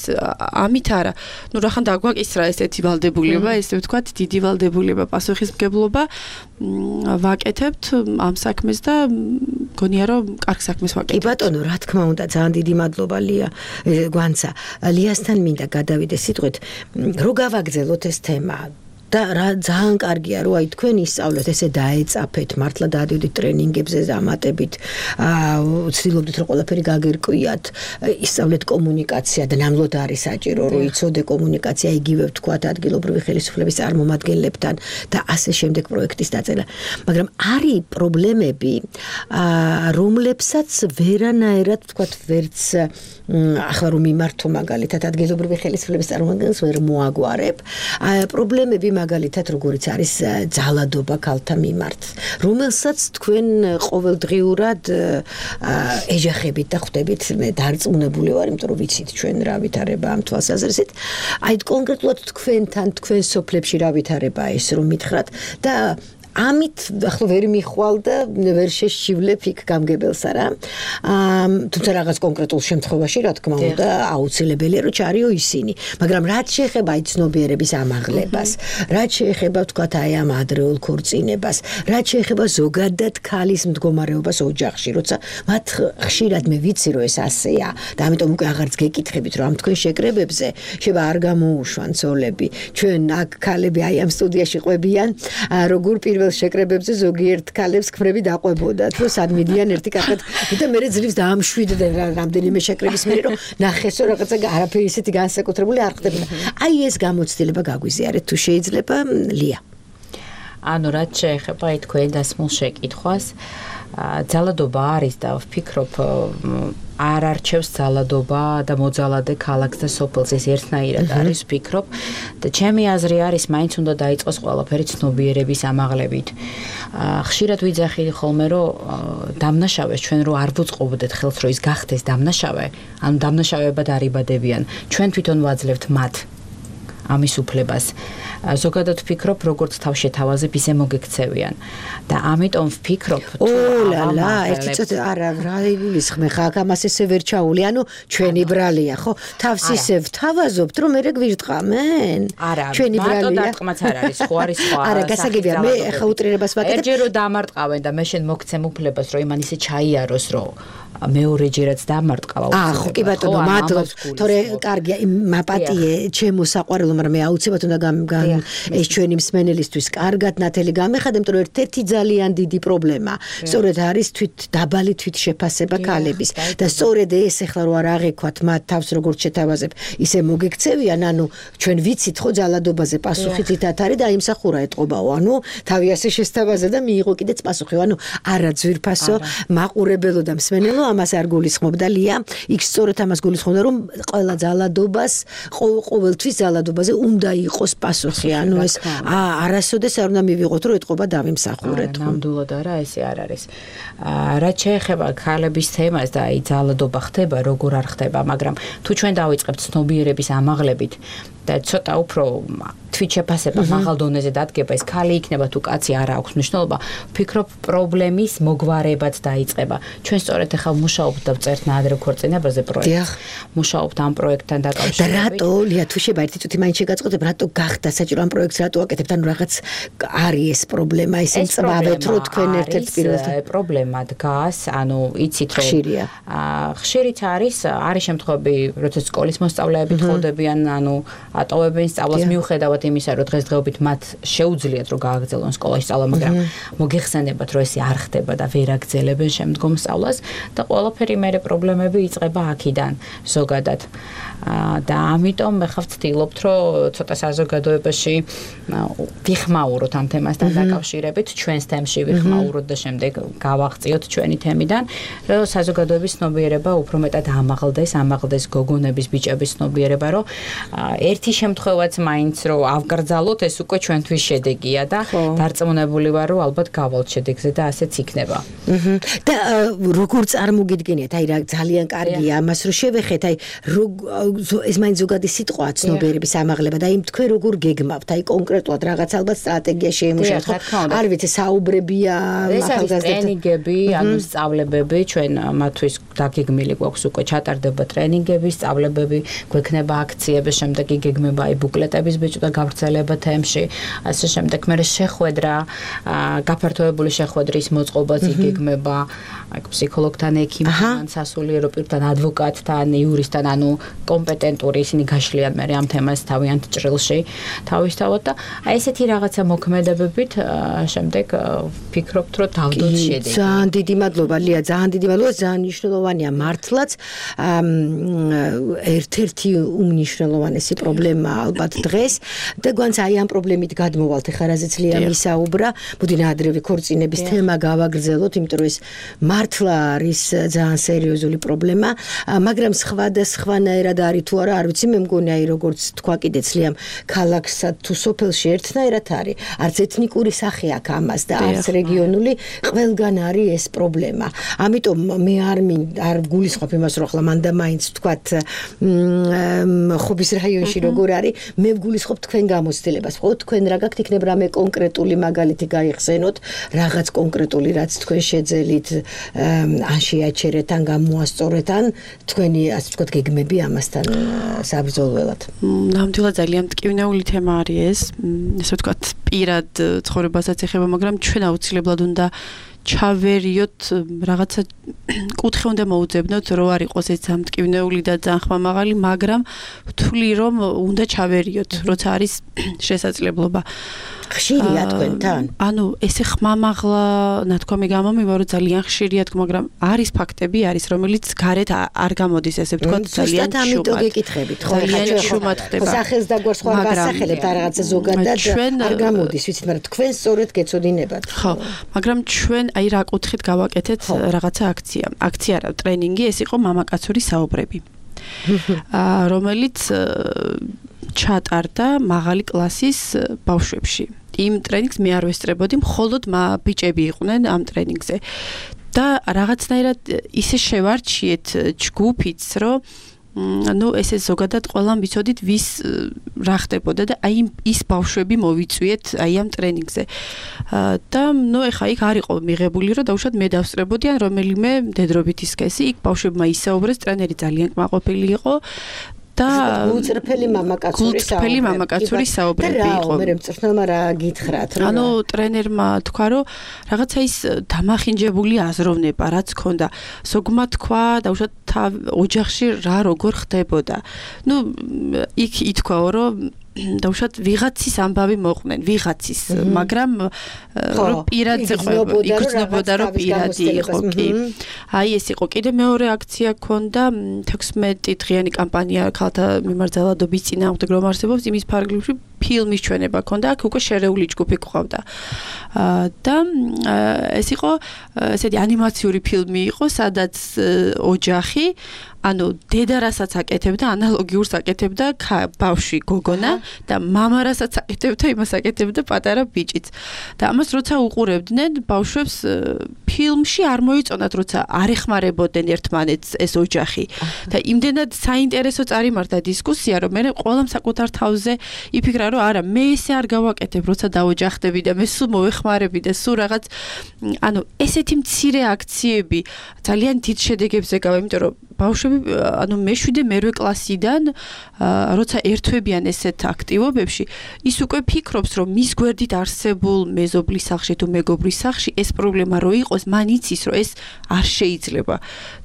ამით არა ნუ რახან დაგვაკისრა ესეთი ვალდებულება ესე ვთქვათ დიდი ვალდებულება პასუხისმგებლობა ვაკეთებთ ამ საქმეს და გონია რომ კარგ საქმეს ვაკეთებთ კი ბატონო რა თქმა უნდა ძალიან დიდი მადლობა ლია გვანცა ლიასთან მინდა გადავიდე სიტყვით რო გავაგზელოთ ეს თემა და რა ძალიან კარგია რომ აი თქვენ ისწავლეთ ესე დაეწაფეთ მართლა დაადევდით ტრენინგებზე ზამატებით ვცდილობდით რომ ყველაფერი გაგერკვიათ ისწავლეთ კომუნიკაცია და ნამდვილად არის საჭირო რომ იცოდე კომუნიკაცია იგივე ვთქვათ ადგილობრივი ხელისუფლების წარმომადგენლებთან და ასე შემდეგ პროექტის დაწერა მაგრამ არის პრობლემები რომლებსაც ვერანაირად ვთქვათ ვერც ახლა რომ მიმართო მაგალითად ადგილობრივი ხელისუფლების წარმომადგენლებს ვერ მოაგვარებ პრობლემები მაგალითად როგორიც არის ძალადობა ქალთა მიმართ, რომელსაც თქვენ ყოველდღიურად ეჯახებით და ხვდებით, მე დარწმუნებული ვარ, იმიტომ რომ ვიცით ჩვენ რა ვითარება ამ თვალსაზრისით. აი კონკრეტულად თქვენთან, თქვენ სოფლებში რა ვითარება ეს რომ მითხრათ და ამით ახლა ვერ მიხვალ და ვერ შეშივლებ იქ გამგებელს არა. თუმცა რაღაც კონკრეტულ შემთხვევაში რა თქმა უნდა აუცილებელია რომ ჩარიო ისინი, მაგრამ რაც შეეხება აი ცნობიერების ამაღლებას, რაც შეეხება თქვათ აი ამ ადრეულ ქორწინებას, რაც შეეხება ზოგადად ქალის მდგომარეობას ოჯახში, როცა მათ ხშირად მე ვიცი რომ ეს ასეა და ამიტომ უკვე აღარც გეკითხებით რომ ამ თქვენ შეკრებებზე შევა არ გამოუშვან ცოლები. ჩვენ აქ ქალები აი ამ სტუდიაში ყვებიან როგორ პირველ შეკრებებზე ზოგიერთ ქალებს ქმრები დაყვებოდათ, რომ სად მიდიან ერთი კარგად და მე ძლივს დაამშვიდდნენ რამდენიმე შეკრების მერე რომ ნახეს რომ რაღაცა არაფერი ისეთი განსაკუთრებული არ ხდებოდა. აი ეს გამოცდილება გაგვიზიარეთ თუ შეიძლება ლია. ანუ რაც შეეხება აი თქვენ დასმულ შეკითხვას, ძალადობა არის და ვფიქრობ არ არჩევს ძალადობა და მოძალადე ქალაქს და სოფელს ეს ერთნაირად არის ვფიქრობ და ჩემი აზრი არის მაინც უნდა დაიწყოს ყველაფერი ცნობიერების ამაღლებით. ხშირად ვიძახი ხოლმე რომ დამნაშავეს ჩვენ რო არ ვუწყობდეთ ხელს რომ ის გახდეს დამნაშავე, ანუ დამნაშავებად არიბადებიან. ჩვენ თვითონ ვაძლევთ მათ ამის უფლებას. ზოგადად ვფიქრობ როგორც თავშეთავაზებ ისე მოგექცევიან და ამიტომ ვფიქრობ ო ლა ლა ერთი წუთი არა რა იგულისხმე ხა ამას ესე ვერ ჩაული ანუ ჩვენი ბრალია ხო თავს ისე ვთავაზობთ რომ მე გვირტყამენ ჩვენი ბრალია მარტო დარტყმაც არ არის ხო არის სხვა არა გასაგებია მე ხა უტრირებას ვაკეთებ ერთჯერ რომ დამარტყავენ და მე შენ მოგცემ უფლებას რომ იმან ისე ჩაიაროს რომ მეორეჯერაც დამარტყავა აა ხო კი ბატონო მადლობ თორე კარგია მაპატიე ჩემო საყვარელო მაგრამ მე აუცილებლად უნდა გამ ეს ჩვენი მსმენელისთვის კარგად ნათელი გამეხადე იმიტომ რომ ერთ-ერთი ძალიან დიდი პრობლემა სწორედ არის თვით დაბალი თვით შეფასება ქალების და სწორედ ეს ახლა რო არ აღექვათ მათ თავს როგორც შეთავაზებ ისე მოგექცევიან ანუ ჩვენ ვიცით ხო ძალადობაზე პასუხი თითათ არის და აიმსახურა ეთყობაო ანუ თავი ასე შესთავაზა და მიიღო კიდეც პასუხი ანუ არა ძვირფასო მაყურებელო და მსმენელო ამას არ გულისხმობდა ლია იქ სწორედ ამას გულისხმობდა რომ ყველა ძალადობას ყოველთვის ძალადობაზე უნდა იყოს პასუხი ანუ ეს არასოდეს არ უნდა მივიღოთ რომ ეთყობა დავიმსახურეთ ნამდვილად არა ესე არ არის რაც შეეხება ქალების თემას და აი ძალადობა ხდება როგორ არ ხდება მაგრამ თუ ჩვენ დავიწყებთ ცნობიერების ამაღლებით და ცოტა უფრო თვით შეფასება მაღალ დონეზე დადგება ეს ქალი იქნება თუ კაცი არ აქვს მნიშვნელობა ვფიქრობ პრობლემის მოგვარებაც დაიწყება ჩვენ სწორედ ახლა მუშაობთ და ვწერთ ნაადრევ ქორწინებაზე პროექტს მუშაობთ ამ პროექტთან დაკავშირებით და რატო ლია თუ შეიძლება ერთი წუთი მაინც შეგაწყობდეთ რატო გახდა საჭირო ამ პროექტს რატო აკეთებთ ანუ რაღაც არის ეს პრობლემა ისე წვავეთ რომ თქვენ ერთ-ერთ პირველად პრობლემა დგას ანუ იცით რომ ხშირიც არის არის შემთხვევები როცა სკოლის მოსწავლეები თხოვდებიან ანუ ატოვებენ სწავლას მიუხედავად იმისა რომ დღესდღეობით მათ შეუძლიათ რომ გააგრძელონ სკოლაში სწავლა მაგრამ მოგეხსენებათ რომ ესე არ ხდება და ვერ აგრძელებენ შემდგომ სწავლას და ყველაფერი მერე პრობლემები იწყება აქედან ზოგადად და ამიტომ მე ხარ ვცდილობთ რომ ცოტა საზოგადოებაში ვიხმაუროთ ამ თემასთან დაკავშირებით ჩვენს თემში ვიხმაუროთ და შემდეგ გავაღწიოთ ჩვენი თემიდან რომ საზოგადოების ცნობიერება უფრო მეტად ამაღლდეს ამაღლდეს გოგონების ბიჭების ცნობიერება რომ ერთი შემთხვევაც მაინც რომ ავგრძალოთ ეს უკვე ჩვენთვის შედეგია და დარწმუნებული ვარ რომ ალბათ გავალთ შედეგზე და ასეც იქნება და როგორ წარმოგიდგენიათ აი რა ძალიან კარგია ამას რომ შევეხეთ აი ეს მაინც ზოგადი სიტყვაა ცნობიერების ამაღლება და იმ თქვენ როგორ გეგმავთ აი კონკრეტულად რაღაც ალბათ სტრატეგია შეიმუშავოთ ხო არ ვიცი საუბრებია ახალგაზრდებთან ტრენინგები ანუ სწავლებები ჩვენ მათთვის დაგეგმილი გვაქვს უკვე ჩატარდება ტრენინგები სწავლებები გვექნება აქციები შემდეგ იგეგმება აი ბუკლეტების ბეჭდა გავრცელება თემში ასე შემდეგ მე შეხვედრა გაფართოებული შეხვედრის მოწყობაც იგეგმება აი ფსიქოლოგთან ექიმთან სასულიერო პირთან ადვოკატთან იურისტთან ანუ კომპეტენტური ისინი გაშლიან მე ამ თემას თავიანთ ჭრილში თავისთავად და აი ესეთი რაღაცა მოქმედებებით შემდეგ ვფიქრობთ რომ დავდოთ შედეგი ძალიან დიდი მადლობა ლია ძალიან დიდი მადლობა ძალიან მნიშვნელოვანია მართლაც ერთ-ერთი უმნიშვნელოვანესი პრობლემა ალბათ დღეს და გვანც აი ამ პრობლემით გადმოვალთ ეხლა რაზეც ლია მისაუბრა მოდი ნაადრევი ქორწინების თემა გავაგრძელოთ იმიტომ რომ ეს მართლა არის ძალიან სერიოზული პრობლემა მაგრამ სხვა და სხვანაირად არის თუ არა არ ვიცი მე მგონი აი როგორც თქვა კიდეც ლიამ ქალაქსა თუ სოფელში ერთნაირად არის არც ეთნიკური სახე აქვს ამას და არც რეგიონული ყველგან არის ეს პრობლემა ამიტომ მე არ არ გულისხმობ იმას რომ ახლა მანდა მაინც თქვათ ხობის რაიონში როგორ არის მე გულისხმობ თქვენ გამოცდილებას ხო თქვენ რა გაქვთ იქნებ რამე კონკრეტული მაგალითი გაიხსენოთ რაღაც კონკრეტული რაც თქვენ შეძელით ან შეაჩერეთ ან გამოასწორეთ ან თქვენი ასე ვთქვათ გეგმები ამასთან საბრძოლველად ნამდვილად ძალიან მტკივნეული თემა არის ეს ასე ვთქვათ პირად ცხოვრებასაც ეხება მაგრამ ჩვენ აუცილებლად უნდა ჩავერიოთ რაღაცა კუთხე უნდა მოუძებნოთ რო არ იყოს ეს ამტკივნეული და ძალიან ხმამაღალი მაგრამ ვთვლი რომ უნდა ჩავერიოთ როცა არის შესაძლებლობა ხშირია თქვენთან ანუ ესე ხმამაღლა ნათქვამი გამომივა რომ ძალიან ხშირია თქო მაგრამ არის ფაქტები არის რომელიც გარეთ არ გამოდის ესე ვთქვათ ძალიან შუმად ამიტომ გეკითხებით ხო ძალიან შუმად ხდება სახელს დაგვარს ხო არ გასახელებთ არ რაღაცა ზოგადად არ გამოდის ვიცით მაგრამ თქვენ სწორედ გეცოდინებათ ხო მაგრამ ჩვენ აი რა კუთხით გავაკეთეთ რაღაცა აქცია აქცია რა ტრენინგი ეს იყო მამაკაცური საუბრები რომელიც ჩატარდა მაღალი კლასის ბავშვებში იმ ტრენინგს მე არ ვესწრებოდი მხოლოდ ბიჭები იყვნენ ამ ტრენინგზე და რაღაცნაირად ისე შევარჩიეთ ჯგუფიც რომ ну ესე ზოგადად ყველამ ვიცოდით ვის რა ხდებოდა და აი ის ბავშვები მოვიწვიეთ აი ამ ტრენინგზე და ну ეხა იქ არ იყო მიღებული რომ დაუშვათ მე დავსწრებოდი ან რომელიმე მდედრობითი სქესი იქ ბავშვებმა ისაუბრეს ტრენერი ძალიან კმაყოფილი იყო და გულწრფელი მამაკაცური საუბრები მამაკაცური საუბრები იყო მე მწვრთნელმა რა გითხრათ რომ ანუ ტრენერმა თქვა რომ რაღაცა ის დამახინჯებული აზროვნება რაც ქონდა ზოგმა თქვა დაუშვათ ოჯახში რა როგორ ხდებოდა ну იქ ითქვაო რომ დაუშვათ ვიღაცის ამბავი მოყვნენ ვიღაცის მაგრამ რომ პირადზე ყვება იგრძნობოდა რომ პირადი იყო კი აი ეს იყო კიდე მეორე აქცია ქონდა თექვსმეტი დღიანი კამპანია ქალთა მიმარჯვებლობის წინააღმდეგ რომ არსებობს იმის ფარგლებში ფილმის ჩვენება ქონდა აქ უკვე შერეული ჯგუფი ყავდა და ეს იყო ესეთი ანიმაციური ფილმი იყო სადაც ოჯახი ანუ დედა რასაც აკეთებდა ანალოგიურს აკეთებდა ბავშვი გოგონა და მამა რასაც აკეთებდა იმას აკეთებდა პატარა ბიჭიც და ამას როცა უყურებდნენ ბავშვებს ფილმში არ მოიწონათ როცა არ ეხმარებოდნენ ერთმანეთს ეს ოჯახი და იმდენად საინტერესო წარიმართა დისკუსია რომ მე ყველამ საკუთარ თავზე იფიქრა რომ არა მე ესე არ გავაკეთებ როცა დაოჯახდები და მე სულ მოეხმარები და სულ რაღაც ანუ ესეთი მცირე აქციები ძალიან დიდ შედეგებს ეკავა იმიტომ რომ ბავშვები ანუ მეშვიდე მერვე კლასიდან როცა ერთვებიან ესეთ აქტივობებში ის უკვე ფიქრობს რომ მის გვერდით არსებულ მეზობლის სახლში თუ მეგობრის სახლში ეს პრობლემა რო იყოს მან იცის რომ ეს არ შეიძლება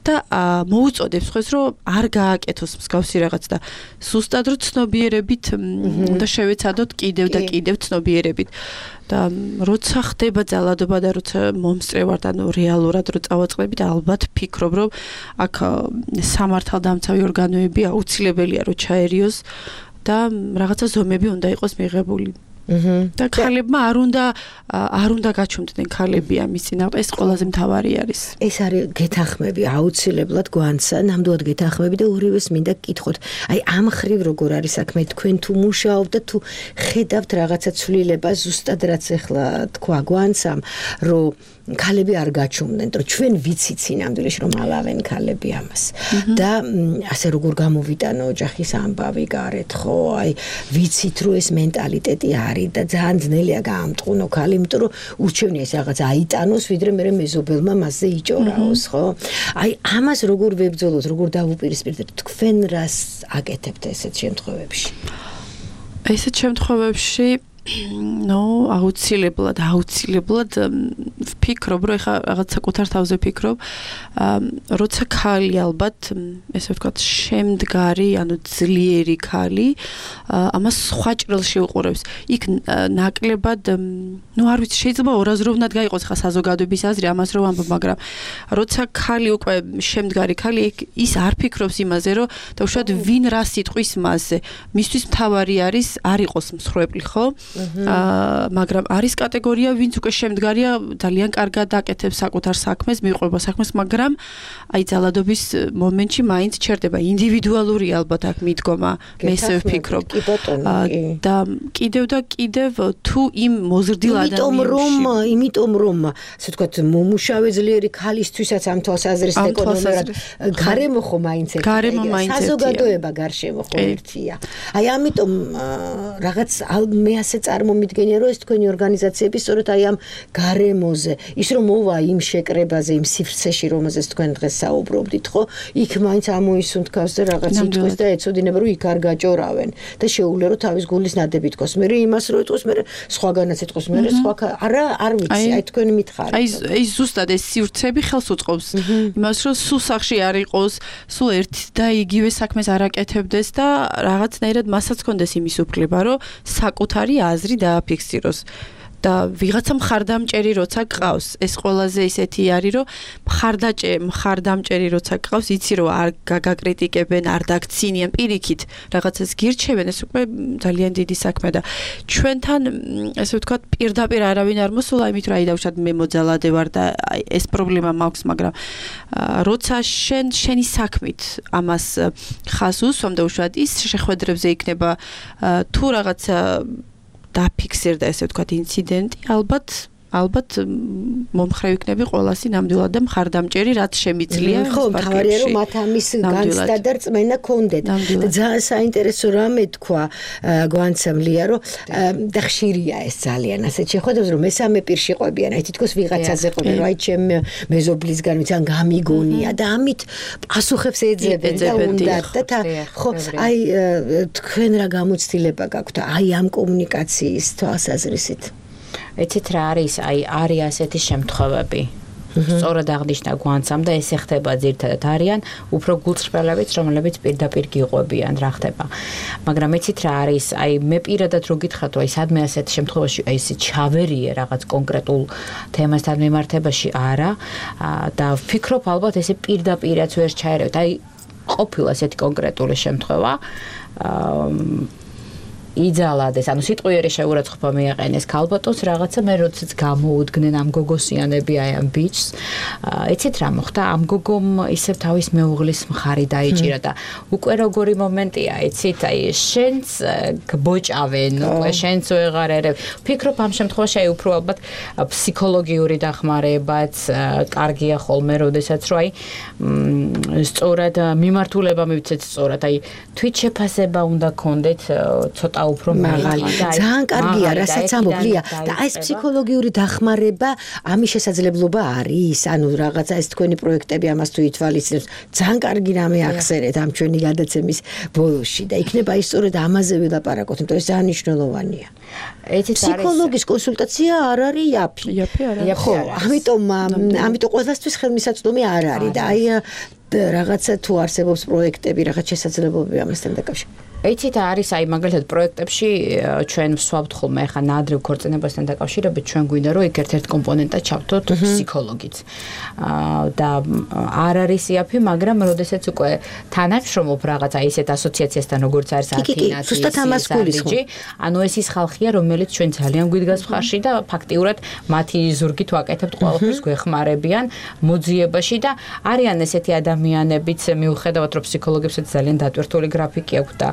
და მოუწოდებს ხოლმე რომ არ გააკეთოს მსგავსი რაღაც და სუსტად რო ცნობიერებით უნდა შევეცადოთ კიდევ და კიდევ ცნობიერებით და როცა ხდება ძალადობა და როცა მომსწრევართ ანუ რეალურად რო წავაწყდებით ალბათ ფიქრობ რომ აქ სამართალდამცავი ორგანოები აუცილებელია რომ ჩაერიოს და რაღაცა ზომები უნდა იყოს მიღებული და ქალებმა არ უნდა არ უნდა გაჩვენდნენ ქალები ამის წინააღმდეგ ეს ყველაზე მთავარი არის ეს არის გეთანხმები აუცილებლად გვანცა ნამდვილად გეთანხმები და ორივეს მინდა გკითხოთ აი ამ ხრივ როგორ არის საქმე თქვენ თუ მუშაობთ და თუ ხედავთ რაღაცა ცვლილებას ზუსტად რაც ახლა თქვა გვანცამ რომ ქალები არ გაჩვენდნენ რომ ჩვენ ვიცით სინამდვილეში რომ ალავენ ქალები ამას და ასე როგორ გამოვიტანო ოჯახის ამბავი გარეთ ხო აი ვიცით რომ ეს მენტალიტეტი არის და ძალიან ძნელია გაამტყუნო ქალი იმიტომ რომ ურჩევნია ეს რაღაც აიტანოს ვიდრე მე მეზობელმა მასზე იჭორაოს ხო აი ამას როგორ ვებრძოლოთ როგორ დავუპირისპირდეთ თქვენ რას აკეთებთ ესეთ შემთხვევებში ესეთ შემთხვევებში ну, აუცილებლად, აუცილებლად ვფიქრობ, რომ ეხა რაღაც საკუთარ თავზე ვფიქრობ, როცა ქალი ალბათ, ესე ვთქვათ, შემდგარი, ანუ ძლიერი ქალი, ამას სხვა ჭრილში უყურებს. იქ ნაკლებად, ну არ ვიცი, შეიძლება ორაზროვნად გაიყოს ხა საზოგადოების აზრი ამას რომ ამბობ, მაგრამ როცა ქალი უკვე შემდგარი ქალი, ის არ ფიქრობს იმაზე, რომ დაუშვათ ვინ რა სიტყვის მასზე. მისთვის მთავარი არის არ იყოს მსხვერპლი, ხო? აა მაგრამ არის კატეგორია, ვინც უკვე შემდგარია, ძალიან კარგად აკეთებს საკუთარ საქმეს, მიყვება საქმეს, მაგრამ აი ძალადობის მომენტში მაინც ჩერდება. ინდივიდუალური ალბათ აქ მიდგომა, მე ესე ვფიქრობ. და კიდევ და კიდევ თუ იმ მოზრდილ ადამიანებში. იმიტომ რომ, იმიტომ რომ, ასე ვთქვათ, მომუშავე ძლიერი ქალისთვისაც ამ თვალსაზრისით ეკონომიურად გარემო ხო მაინც ერთია. საზოგადოება გარშემო ხო ერთია. აი ამიტომ რაღაც მე ასე წარმომიდგენია, რომ ეს თქვენი ორგანიზაციები სწორედ აი ამ გარემოზე, ის რომ მოვა იმ შეკრებაზე, იმ სივრცეში, რომელზეც თქვენ დღეს საუბრობდით, ხო? იქ მაინც ამოისუნთქავს და რაღაც იტყვის და ეცოდინება, რომ იქ არ გაჭორავენ და შეუძლია რომ თავის გულის ნადები იტყოს. მე იმას რო იტყოს, მე სხვაგანაც იტყოს, მე სხვა არა არ ვიცი, აი თქვენი მითხარი. აი აი ზუსტად ეს სივრცეები ხელს უწყობს იმას, რომ სულ სახში არ იყოს, სულ ერთ და იგივე საქმეს არ აკეთებდეს და რაღაცნაირად მასაც კონდეს იმის უფლება, რომ საკუთარი აზრი დააფიქსიროს. და ვიღაცა მხარდამჭერი როცა გყავს, ეს ყველაზე ისეთი არის, რომ მხარდაჭე, მხარდამჭერი როცა გყავს, იცი რომ არ გაგაკრიტიკებენ, არ დაგცინიან პირიქით, რაღაცას გირჩევენ, ეს უკვე ძალიან დიდი საქმე და ჩვენთან, ესე ვთქვათ, პირდაპირ არავინ არ მოსულა, იმით რომ აი დავუშვათ მე მოძალადე ვარ და ეს პრობლემა მაქვს, მაგრამ როცა შენ შენი საქმით ამას ხას უსვამ და უშუალოდ ის შეხვედრებზე იქნება თუ რაღაცა დაფიქსირდა ესე ვთქვათ ინციდენტი, ალბათ ალბათ მომხრე იქნები ყველასი ნამდვილად და მხარდამჭერი, რაც შემიძლია. ხო, თავარია რომ მათ ამის განცდა და რწმენა კონდეთ. და ძალიან საინტერესო რამე თქვა გვანცემ ლია, რომ და ხშირია ეს ძალიან ასეთ შეხვედრებს, რომ მესამე პირში ყვებიან, აი თითქოს ვიღაცაზე ყვებიან, რომ აი ჩემ მეზობლისგან ვიცი ან გამიგონია და ამით პასუხებს ეძებენ და უნდათ და ხო, აი თქვენ რა გამოცდილება გაქვთ აი ამ კომუნიკაციის თვალსაზრისით? ეცით რა არის, აი არის ასეთი შემთხვევები. სწორად აღნიშნა გვანცამ და ეს ხდება ძირთადად არიან უფრო გულწრფელებიც, რომლებიც პირდაპირ გიყვებიან რა ხდება. მაგრამ ეცით რა არის, აი მე პირადად რო გითხრათ, აი სადმე ასეთ შემთხვევაში აი ესე ჩავერიე რაღაც კონკრეტულ თემასთან მიმართებაში არა და ვფიქრობ ალბათ ესე პირდაპირაც ვერ ჩაერევთ. აი ყოფილა ესეთი კონკრეტული შემთხვევა. იძალადეს, ანუ სიტყვიერი შეურაცხყოფა მიაყენეს ქალბატონს რაღაცა მე როდესაც გამოუდგნენ ამ გოგოსიანები აი ამ ბიჭს. იცით რა მოხდა? ამ გოგომ ისევ თავის მეუღლის მხარი დაიჭირა და უკვე როგორი მომენტია, იცით, აი შენც გბოჭავენ, უკვე შენც ვეღარ ერევ. ვფიქრობ ამ შემთხვევაში აი უფრო ალბათ ფსიქოლოგიური დახმარებაც კარგია ხოლმე, როდესაც რო აი სწორად მიმართულება მივცეთ სწორად, აი თვით შეფასება უნდა გქონდეთ ცოტა უფრო მაღალი. ძალიან კარგია, რასაც ამბობლია და ეს ფსიქოლოგიური დახმარება ამის შესაძლებლობა არის, ანუ რაღაცა ეს თქვენი პროექტები ამას თუ ითვალისწინებს, ძალიან კარგი რამე ახსენეთ ამ ჩვენი გადაცემის ბოლოში და იქნება ის სწორედ ამაზე ვილაპარაკოთ, იმიტომ ეს ძალიან მნიშვნელოვანია. ფსიქოლოგის კონსულტაცია არ არის იაფი. იაფი არ არის. ხო, ამიტომ ამიტომ ყველასთვის ხელმისაწვდომი არ არის და აი რაღაცა თუ არსებობს პროექტები, რაღაც შესაძლებლობები ამასთან დაკავშირებით. იცით არის აი მაგალითად პროექტებში ჩვენ ვსვამთ ხოლმე ახლა ნაადრევ ქორწინებასთან დაკავშირებით ჩვენ გვინდა რომ იქ ერთ-ერთ კომპონენტად ჩავთოთ ფსიქოლოგიც. და არ არის იაფი, მაგრამ როდესაც უკვე თანამშრომლობ რაღაცა ისეთ ასოციაციასთან როგორც არის ათინათი, ანუ ეს ის ხალხია რომელიც ჩვენ ძალიან გვიდგას მხარში და ფაქტიურად მათი ზურგით ვაკეთებთ ყველაფერს გვეხმარებიან მოძიებაში და არიან ესეთი ადამიანებიც მიუხედავად რომ ფსიქოლოგებსაც ძალიან დატვირთული გრაფიკი აქვს და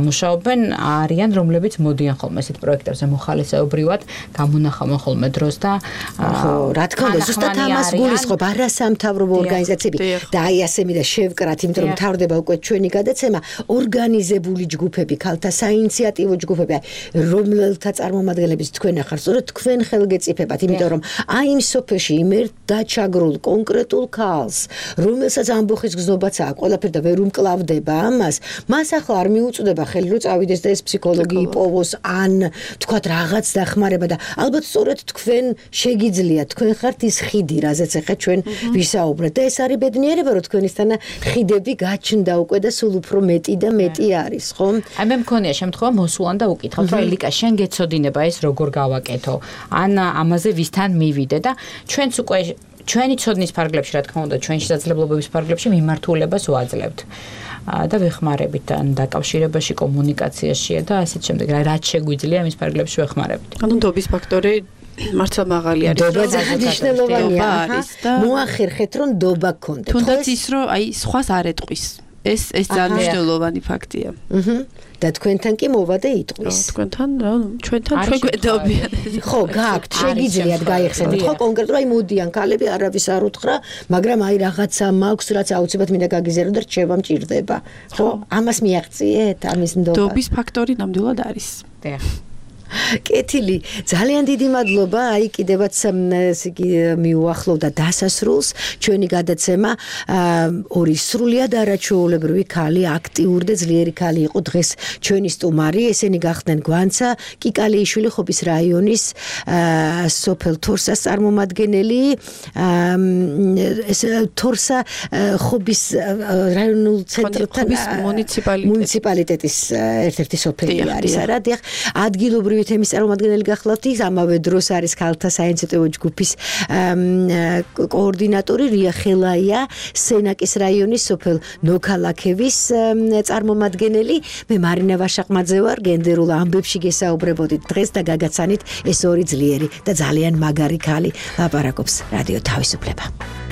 მუშაობენ არიან რომლებიც მოდიან ხოლმე ესეთ პროექტებზე მოხალისეობრივად გამონახავენ ხოლმე დროს და ხო რა თქმა უნდა ზუსტად ამას გულისხმობ არასამთავრობო ორგანიზაციები და აი ასე მინდა შევკრათ იმიტომ რომ მთავრდება უკვე ჩვენი გადაცემა ორგანიზებული ჯგუფები ქალთა საინიციატივო ჯგუფები რომელთა წარმომადგენლებს თქვენ ახარ სწორედ თქვენ ხელგეწიფებათ იმიტომ რომ აი იმ სოფელში იმ ერთ დაჩაგრულ კონკრეტულ ქალს რომელსაც ამბოხის გზნობაც აქვს ყველაფერი და ვერ უმკლავდება ამას მას ახლა არ მოუწდება ხელი რომ წავიდეს და ეს ფსიქოლოგი იპოვოს ან თქვათ რაღაც დახმარება და ალბათ სწორედ თქვენ შეგიძლიათ თქვენ ხართ ის ხიდი რაზეც ახლა ჩვენ ვისაუბრეთ და ეს არის ბედნიერება რომ თქვენისთანა ხიდები გაჩნდა უკვე და სულ უფრო მეტი და მეტი არის ხო? აი მე მქონია შემთხვევა მოსულან და უკითხავთ რომ ელიკა შენ გეცოდინება ეს როგორ გავაკეთო ან ამაზე ვისთან მივიდე და ჩვენც უკვე ჩვენი ცოდნის ფარგლებში რა თქმა უნდა ჩვენი შესაძლებლობების ფარგლებში მიმართულებას ვაძლევთ და ვეხმარებით ან დაკავშირებაში კომუნიკაციაშია და ასეთ შემდეგ რაც შეგვიძლია მის ფარგლებში ვეხმარებით. ანუ დობის ფაქტორი მართლა მაღალი არის. დობა ძალიან მნიშვნელოვანია არის და მოახერხეთ რომ დობა გქონდეთ. თუნდაც ის რომ აი სხვას არ ეტყვის. ეს ეს ძალიან მნიშვნელოვანი ფაქტია. აჰა. და თქვენთან კი მოვა და იტყვის. თქვენთან, ჩვენთან ჩვენ გვედობიან. ხო, გააქვთ, შეგიძლიათ გაიხსენოთ. ხო, კონკრეტულად აი მოდიან ქალები, არავის არ უთხრა, მაგრამ აი რაღაცა მაქვს, რაც აუცილებლად მინდა გაგიზიარო და რჩება მჭირდება. ხო, ამას მიაღწიეთ, ამის ნდობა. დობის ფაქტორი ნამდვილად არის. დიახ. კეთილი, ძალიან დიდი მადლობა. აი კიდევაც ესე იგი მიუახლოვდა დასასრულს ჩვენი გადაცემა. ორი სრულიად არაჩვეულებრივი ქალი, აქტიური და ძლიერი ქალი იყო დღეს ჩვენი სტუმარი. ესენი გახდნენ გვანცა კიკალიიშვილი ხობის რაიონის სოფელ თორსას წარმომადგენელი. ეს თორსა ხობის რაიონულ ცენტრთან მუნიციპალიტეტის ერთ-ერთი სოფელი არის, არა? დიახ, ადგილობრივი თემის წარმომადგენელი გახლავთ, ის ამავე დროს არის ქალთა საინიციატივო ჯგუფის კოორდინატორი რია ხელაია, სენაკის რაიონის სოფელ ნოქალაქევის წარმომადგენელი. მე მარინა ვაშაყმაძე ვარ, გენდერულ ამბებში გესაუბრებოდით დღეს და გაგაცანით ეს ორი ძლიერი და ძალიან მაგარი ქალი ლაპარაკობს რადიო თავისუფლება.